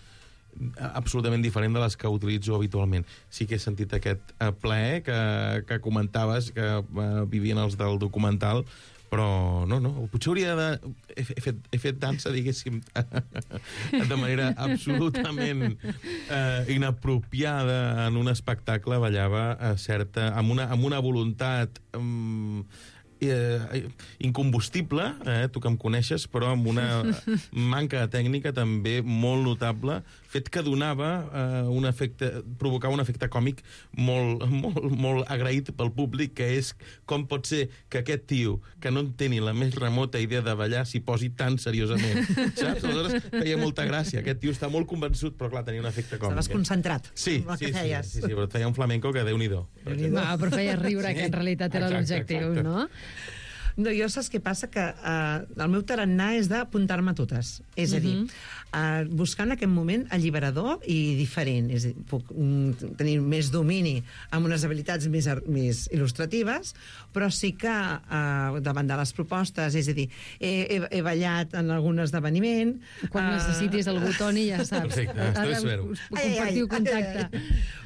absolutament diferent de les que utilitzo habitualment. Sí que he sentit aquest plaer que comentaves, que vivien els del documental, però no, potser hauria de... He fet dansa, diguéssim, de manera absolutament inapropiada en un espectacle, ballava amb una voluntat incombustible, tu que em coneixes, però amb una manca de tècnica també molt notable, fet que donava provocava un efecte còmic molt agraït pel públic, que és com pot ser que aquest tio, que no en té ni la més remota idea de ballar, s'hi posi tan seriosament, saps? Aleshores feia molta gràcia, aquest tio està molt convençut, però clar, tenia un efecte còmic. Estaves concentrat amb el que feies. Sí, però et feia un flamenco que Déu-n'hi-do. Però feia riure, que en realitat era l'objectiu, no? No, jo saps què passa? Que el meu tarannà és d'apuntar-me totes. És a dir, buscar en aquest moment alliberador i diferent. És a dir, puc tenir més domini amb unes habilitats més il·lustratives, però sí que davant de les propostes, és a dir, he ballat en algun esdeveniment... Quan necessitis algú, Toni, ja saps. Perfecte, us compartiu contacte.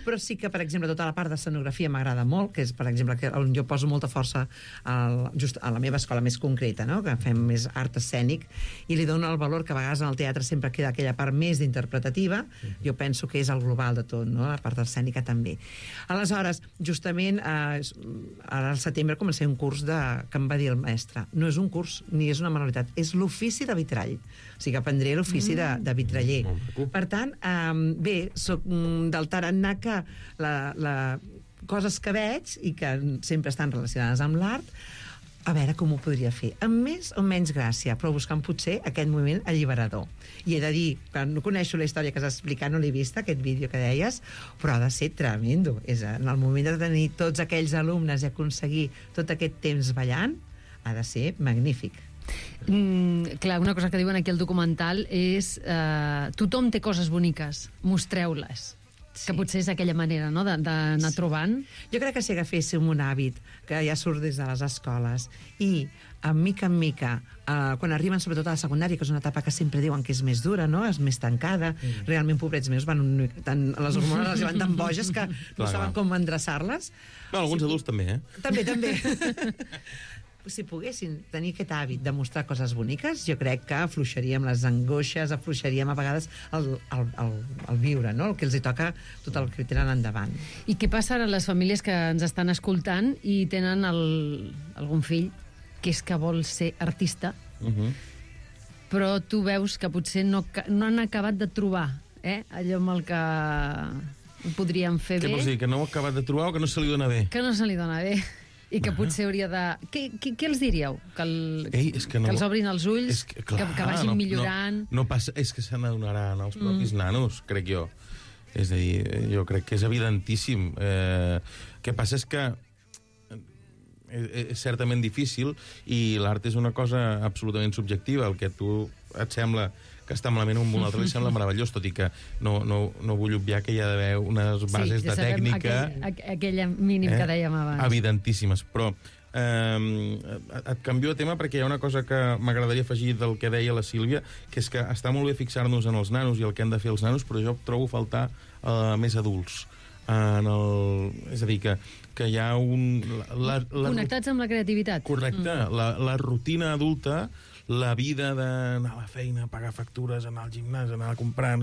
Però sí que, per exemple, tota la part d'escenografia m'agrada molt, que és, per exemple, on jo poso molta força just a la meva escola més concreta, no? Que fem més art escènic, i li dono el valor que a vegades en el teatre sempre queda aquella part més d'interpretativa. Jo penso que és el global de tot, no? La part escènica també. Aleshores, justament, ara al setembre començaré un curs que em va dir el mestre. No és un curs ni és una manualitat, és l'ofici de vitrall. O sigui, aprendré l'ofici de vitraller. Per tant, bé, soc del tarannà que coses que veig i que sempre estan relacionades amb l'art, a veure com ho podria fer, amb més o menys gràcia, però buscant potser aquest moviment alliberador. I he de dir, que no coneixo la història que has explicat, no l'he vista, aquest vídeo que deies, però ha de ser tremendo. És en el moment de tenir tots aquells alumnes i aconseguir tot aquest temps ballant, ha de ser magnífic. Clar, una cosa que diuen aquí al documental és tothom té coses boniques, mostreu-les. Que potser és aquella manera, no?, d'anar trobant. Jo crec que si agaféssim un hàbit que ja surt des de les escoles i, mica en mica, quan arriben sobretot a la secundària, que és una etapa que sempre diuen que és més dura, no?, és més tancada, realment, pobrets meus, les hormones els van tan boges que no saben com endreçar-les. Alguns adults també, També. Si poguessin tenir aquest hàbit de mostrar coses boniques, jo crec que afluixaríem les angoixes, afluixaríem a vegades el viure, no? El que els hi toca, tot el que tenen endavant. I què passa ara a les famílies que ens estan escoltant i tenen algun fill que és que vol ser artista, però tu veus que potser no han acabat de trobar allò amb el que ho podrien fer bé? Què vols dir, que no ho ha acabat de trobar o que no se li dona bé? Que no se li dona bé. I que potser hauria de... Què els diríeu? Que els obrin els ulls? Que vagin millorant? No passa, és que se n'adonaran els propis nanos, crec jo. És a dir, jo crec que és evidentíssim. Què passa és que és certament difícil i l'art és una cosa absolutament subjectiva. El que a tu et sembla que està malament un altre li sembla meravellós, tot i que no vull obviar que hi ha d'haver unes bases de tècnica... Aquella mínim que dèiem abans. Evidentíssimes, però et canvio de tema perquè hi ha una cosa que m'agradaria afegir del que deia la Sílvia, que és que està molt bé fixar-nos en els nanos i el que han de fer els nanos, però jo trobo faltar més adults. És a dir, que hi ha un... Connectats amb la creativitat. Correcte. La rutina adulta, la vida d'anar a la feina, pagar factures, anar al gimnàs, anar a comprar...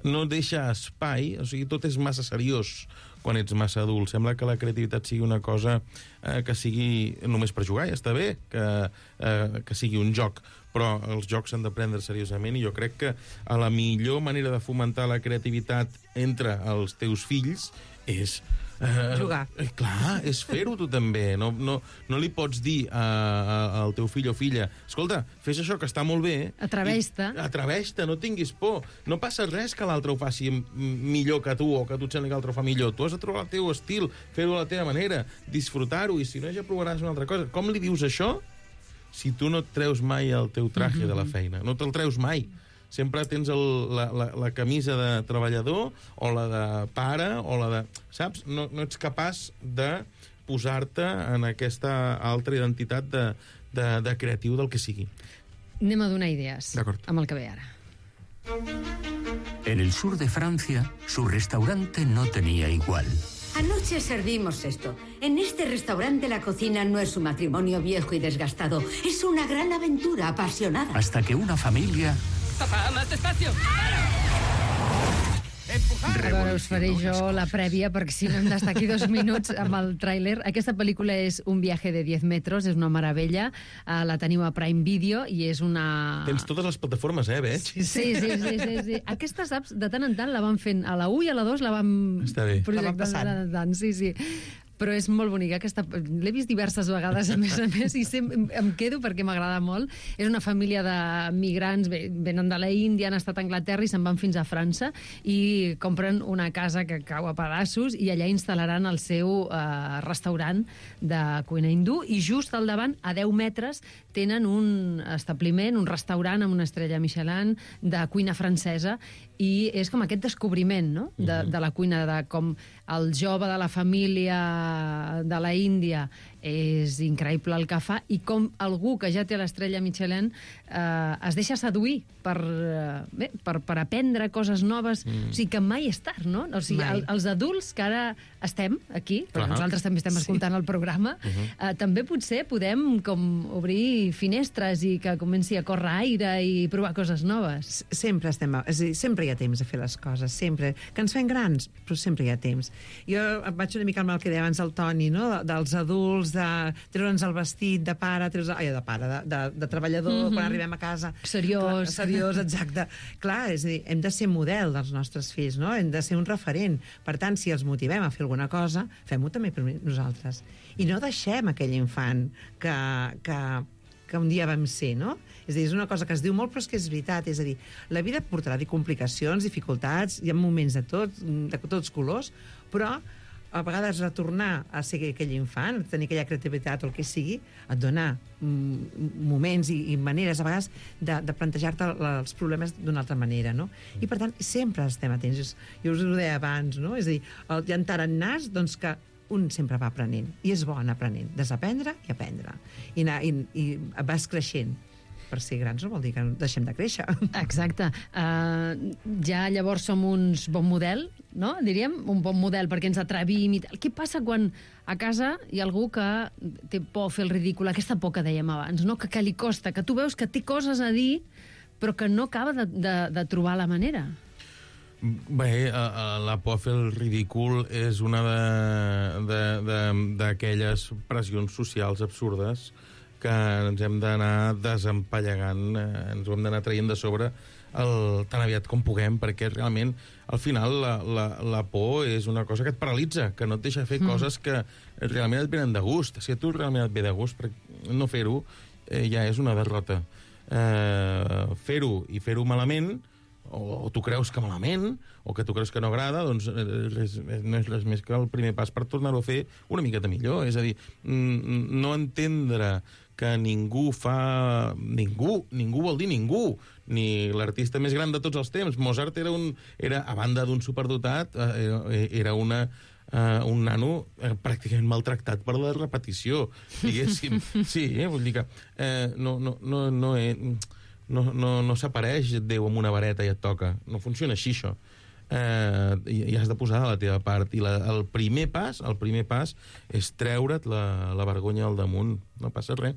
No deixa espai, o sigui, tot és massa seriós quan ets massa adult. Sembla que la creativitat sigui una cosa que sigui només per jugar, ja està bé, que sigui un joc, però els jocs s'han de prendre seriosament i jo crec que la millor manera de fomentar la creativitat entre els teus fills és... jugar. Clar, és fer-ho tu també. No li pots dir al teu fill o filla, escolta, fes això que està molt bé... Atreveix-te. Atreveix-te, no tinguis por. No passa res que l'altre ho faci millor que tu o que tu et sembli que l'altre ho fa millor. Tu has de trobar el teu estil, fer-ho a la teva manera, disfrutar-ho, i si no ja provaràs una altra cosa. Com li dius això si tu no et treus mai el teu traje de la feina? No te'l treus mai. Sempre tens la camisa de treballador o la de pare o la de... Saps? No ets capaç de posar-te en aquesta altra identitat de creatiu del que sigui. Anem a donar idees amb el que ve ara. En el sur de Francia, su restaurante no tenía igual. Anoche servimos esto. En este restaurante la cocina no es un matrimonio viejo y desgastado. Es una gran aventura apasionada. Hasta que una familia... Papá, más despacio. A veure, us faré jo la prèvia, perquè si no hem d'estar aquí 2 minuts amb el tràiler. Aquesta pel·lícula és Un viaje de 10 metros, és una meravella. La teniu a Prime Video i és una... Tens totes les plataformes, veig? Sí. Aquesta, saps, de tant en tant la van fent a la 1 i a la 2 la van... Està bé. Projectant. Sí. però és molt bonica. L'he vist diverses vegades, a més, i em quedo perquè m'agrada molt. És una família de migrants, venen de la Índia, han estat a Anglaterra i se'n van fins a França i compren una casa que cau a pedaços i allà instal·laran el seu restaurant de cuina hindú i just al davant, a 10 metres, tenen un establiment, un restaurant amb una estrella Michelin de cuina francesa i és com aquest descobriment, no?, de la cuina, de com el jove de la família de la Índia és increïble el que fa i com algú que ja té l'estrella Michelin es deixa seduir per aprendre coses noves. O sigui, que mai és tard, no? O sigui, els adults que ara estem aquí, perquè nosaltres també estem escoltant el programa, també potser podem com obrir finestres i que comenci a córrer aire i provar coses noves. Sempre hi ha temps de fer les coses, sempre. Que ens fem grans, però sempre hi ha temps. Jo vaig una mica amb el que deia abans el Toni, no?, dels adults, de treure'ns el vestit de pare, de treballador, quan arribem a casa. Seriós. Seriós, exacte. Clar, és a dir, hem de ser model dels nostres fills, no? Hem de ser un referent. Per tant, si els motivem a fer alguna cosa, fem-ho també per nosaltres. I no deixem aquell infant que un dia vam ser, no? És a dir, és una cosa que es diu molt, però és que és veritat. És a dir, la vida portarà complicacions, dificultats, hi ha moments de tots colors, però a vegades retornar a ser aquell infant, tenir aquella creativitat o el que sigui, et dona moments i maneres, a vegades, de plantejar-te els problemes d'una altra manera, no? I, per tant, sempre estem atents. Jo us ho deia abans, no? És a dir, hi ha tarannàs, doncs, que un sempre va aprenent, i és bo anar aprenent, desaprendre i aprendre. I vas creixent. Per ser grans no vol dir que deixem de créixer. Exacte. Ja llavors som uns bon model, no? Diríem, un bon model perquè ens atrevim i tal. Què passa quan a casa hi ha algú que té por a fer el ridícul, aquesta por que dèiem abans, no? Que li costa, que tu veus que té coses a dir però que no acaba de trobar la manera? Bé, la por a fer el ridícul és una d'aquelles pressions socials absurdes que ens hem d'anar desempallegant, ens ho hem d'anar traient de sobre tan aviat com puguem, perquè realment, al final, la por és una cosa que et paralitza, que no et deixa fer coses que realment et venen de gust. Si a tu realment et ve de gust, no fer-ho ja és una derrota. Fer-ho i fer-ho malament, o tu creus que malament, o que tu creus que no agrada, doncs no és res més que el primer pas per tornar-ho a fer una miqueta millor. És a dir, no entendre que ningú vol dir ningú, ni l'artista més gran de tots els temps. Mozart era a banda d'un superdotat, era un nano pràcticament maltractat per la repetició, diguéssim. Sí, vull dir que no s'apareix Déu amb una vareta i et toca. No funciona així, això. I has de posar de la teva part. I el primer pas és treure't la vergonya al damunt. No passa res.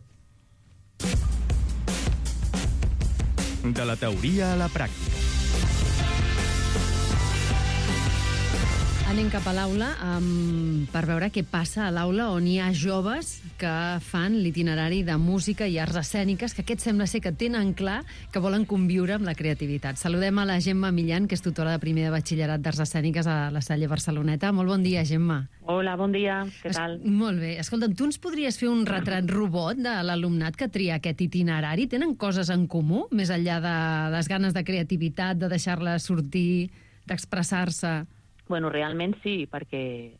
De la teoria a la pràctica. Anem cap a l'aula per veure què passa a l'aula on hi ha joves que fan l'itinerari de música i arts escèniques, que aquest sembla ser que tenen clar que volen conviure amb la creativitat. Saludem a la Gemma Millan, que és tutora de primer de batxillerat d'arts escèniques a la Salle Barceloneta. Molt bon dia, Gemma. Hola, bon dia. Què tal? Molt bé. Escolta'm, tu ens podries fer un retrat robot de l'alumnat que tria aquest itinerari? Tenen coses en comú, més enllà de les ganes de creativitat, de deixar-la sortir, d'expressar-se? Bueno, realment sí, perquè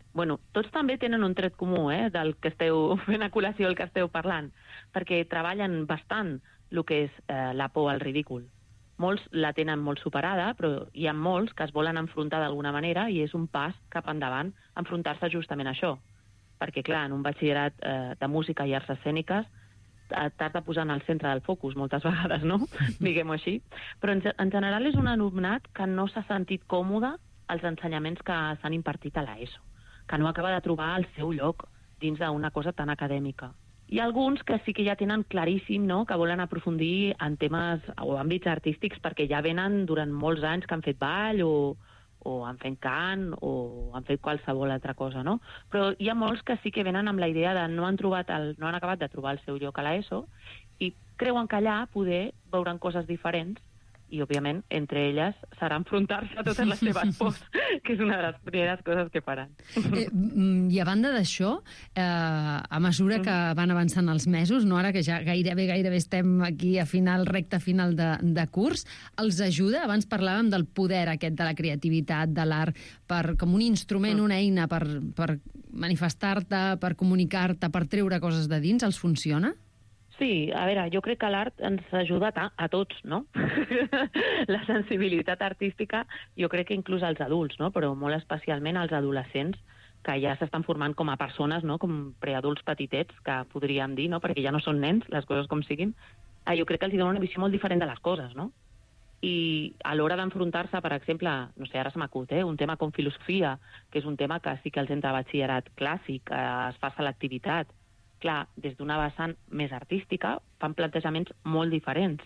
tots també tenen un tret comú del que esteu fent a col·lació, el que esteu parlant, perquè treballen bastant el que és la por al ridícul. Molts la tenen molt superada, però hi ha molts que es volen enfrontar d'alguna manera i és un pas cap endavant enfrontar-se justament a això. Perquè, clar, en un batxillerat de música i arts escèniques t'has de posar en el centre del focus moltes vegades, no? Diguem-ho així. Però en general és un alumnat que no s'ha sentit còmode als ensenyaments que s'han impartit a l'ESO, que no acaba de trobar el seu lloc dins d'una cosa tan acadèmica. Hi ha alguns que sí que ja tenen claríssim, no?, que volen aprofundir en temes o àmbits artístics perquè ja venen durant molts anys que han fet ball o han fet cant o han fet qualsevol altra cosa, no? Però hi ha molts que sí que venen amb la idea de no han acabat de trobar el seu lloc a l'ESO i creuen que allà poder veuran coses diferents I, òbviament, entre elles serà enfrontar-se a totes les seves pors, que és una de les primeres coses que faran. I a banda d'això, a mesura que van avançant els mesos, no ara que ja gairebé estem aquí a recta final de curs, els ajuda? Abans parlàvem del poder aquest de la creativitat, de l'art, com un instrument, una eina per manifestar-te, per comunicar-te, per treure coses de dins, els funciona? Sí, a veure, jo crec que l'art ens ajuda a tots, no? La sensibilitat artística, jo crec que inclús als adults, no? Però molt especialment als adolescents, que ja s'estan formant com a persones, no? Com preadults petitets, que podríem dir, no? Perquè ja no són nens, les coses com siguin. Jo crec que els dona una visió molt diferent de les coses, no? I a l'hora d'enfrontar-se, per exemple, no sé, ara se m'acut, un tema com filosofia, que és un tema que sí que els entra a batxillerat clàssic, es fa selectivitat. Clar, des d'una vessant més artística fan plantejaments molt diferents,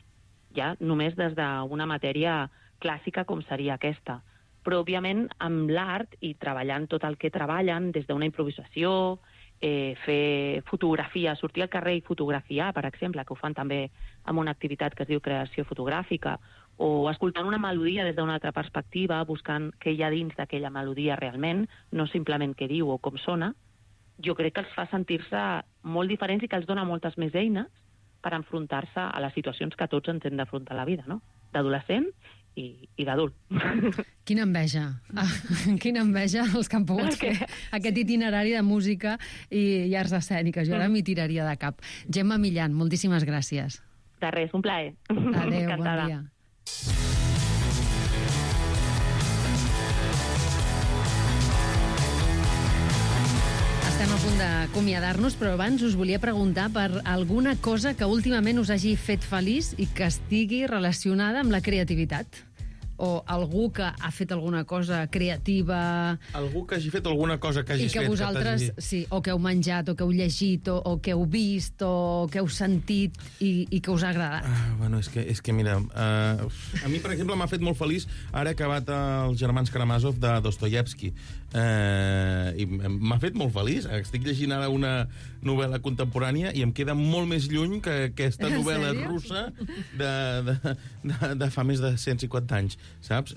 ja només des d'una matèria clàssica com seria aquesta. Però, òbviament, amb l'art i treballant tot el que treballen, des d'una improvisació, fer fotografia, sortir al carrer i fotografiar, per exemple, que ho fan també amb una activitat que es diu creació fotogràfica, o escoltant una melodia des d'una altra perspectiva, buscant què hi ha dins d'aquella melodia realment, no simplement què diu o com sona, jo crec que els fa sentir-se molt diferents i que els dona moltes més eines per enfrontar-se a les situacions que tots ens hem d'afrontar a la vida, no? D'adolescent i d'adult. Quina enveja. Quina enveja els que han pogut fer aquest itinerari de música i arts escèniques. Jo ara m'hi tiraria de cap. Gemma Millan, moltíssimes gràcies. De res, un plaer. Adéu, bon dia. Estem a punt d'acomiadar-nos, però abans us volia preguntar per alguna cosa que últimament us hagi fet feliç i que estigui relacionada amb la creativitat. O algú que ha fet alguna cosa creativa... Algú que hagi fet alguna cosa que hagis fet. I que vosaltres, sí, o que heu menjat, o que heu llegit, o que heu vist, o que heu sentit i que us ha agradat. Bueno, és que mira, a mi, per exemple, m'ha fet molt feliç ara he acabat Els germans Karamazov de Dostoievski. I m'ha fet molt feliç. Estic llegint ara una novel·la contemporània i em queda molt més lluny que aquesta novel·la russa de fa més de 150 anys. Saps?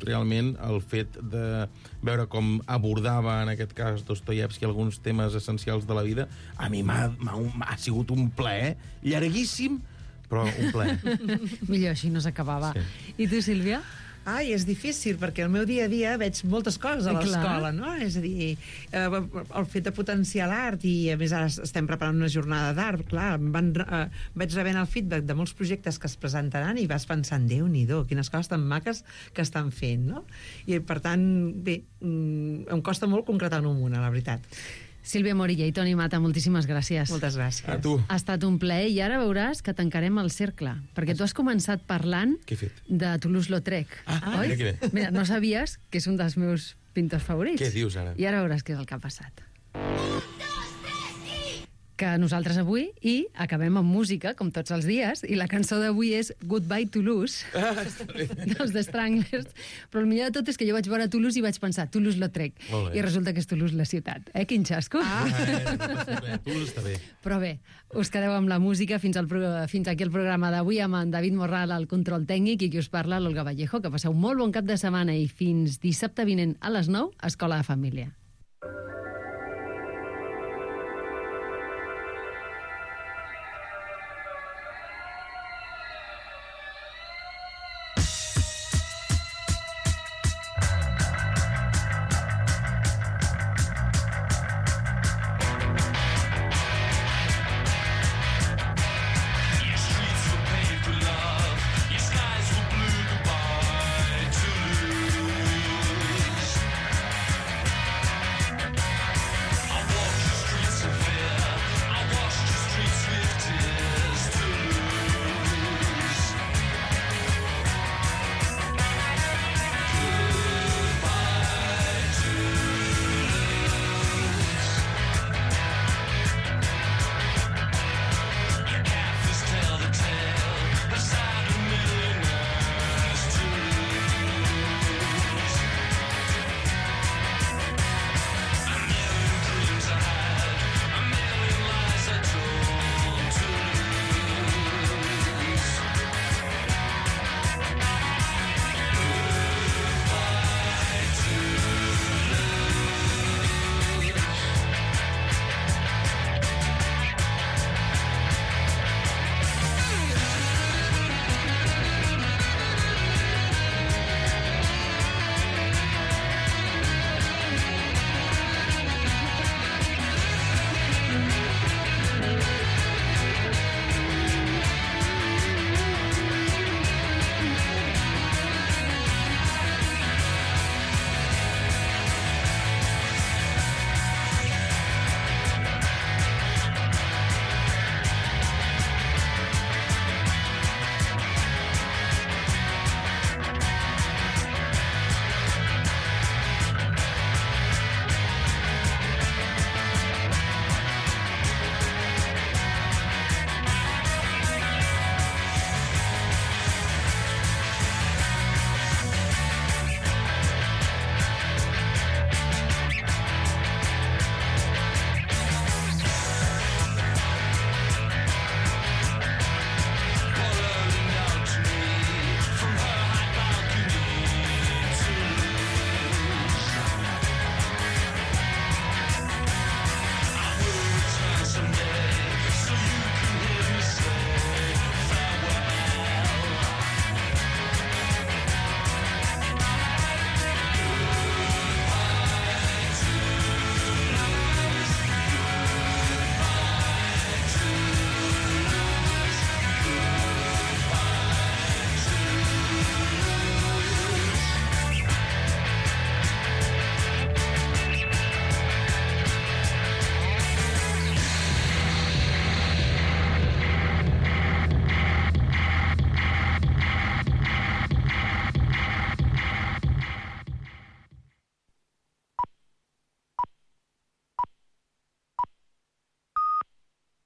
Realment el fet de veure com abordava en aquest cas Dostoievski alguns temes essencials de la vida a mi m'ha sigut un plaer llarguíssim, però un plaer. Millor així no s'acabava. Sí. I tu, Sílvia? Ai, és difícil, perquè el meu dia a dia veig moltes coses a l'escola, no? És a dir, el fet de potenciar l'art, i a més ara estem preparant una jornada d'art, clar, vaig rebent el feedback de molts projectes que es presentaran i vas pensant, Déu-n'hi-do, quines coses tan maques que estan fent, no? I per tant, bé, em costa molt concretar-ne una, la veritat. Sílvia Morilla i Toni Mata, moltíssimes gràcies. Moltes gràcies. A tu. Ha estat un plaer i ara veuràs que tancarem el cercle, perquè tu has començat parlant de Toulouse-Lautrec. Oi? Mira, no sabies que és un dels meus pintors favorits. Què dius ara? I ara veuràs què és el que ha passat. Que nosaltres avui acabem amb música, com tots els dies, i la cançó d'avui és Goodbye Toulouse, dels The Stranglers, però el millor de tot és que jo vaig veure Toulouse i vaig pensar Toulouse-Lautrec, i resulta que és Toulouse la ciutat. Quin xasco? Toulouse està bé. Però bé, us quedeu amb la música fins aquí el programa d'avui amb en David Morral al control tècnic i qui us parla, l'Olga Vallejo. Que passeu molt bon cap de setmana i fins dissabte vinent a les 9, Escola de Família.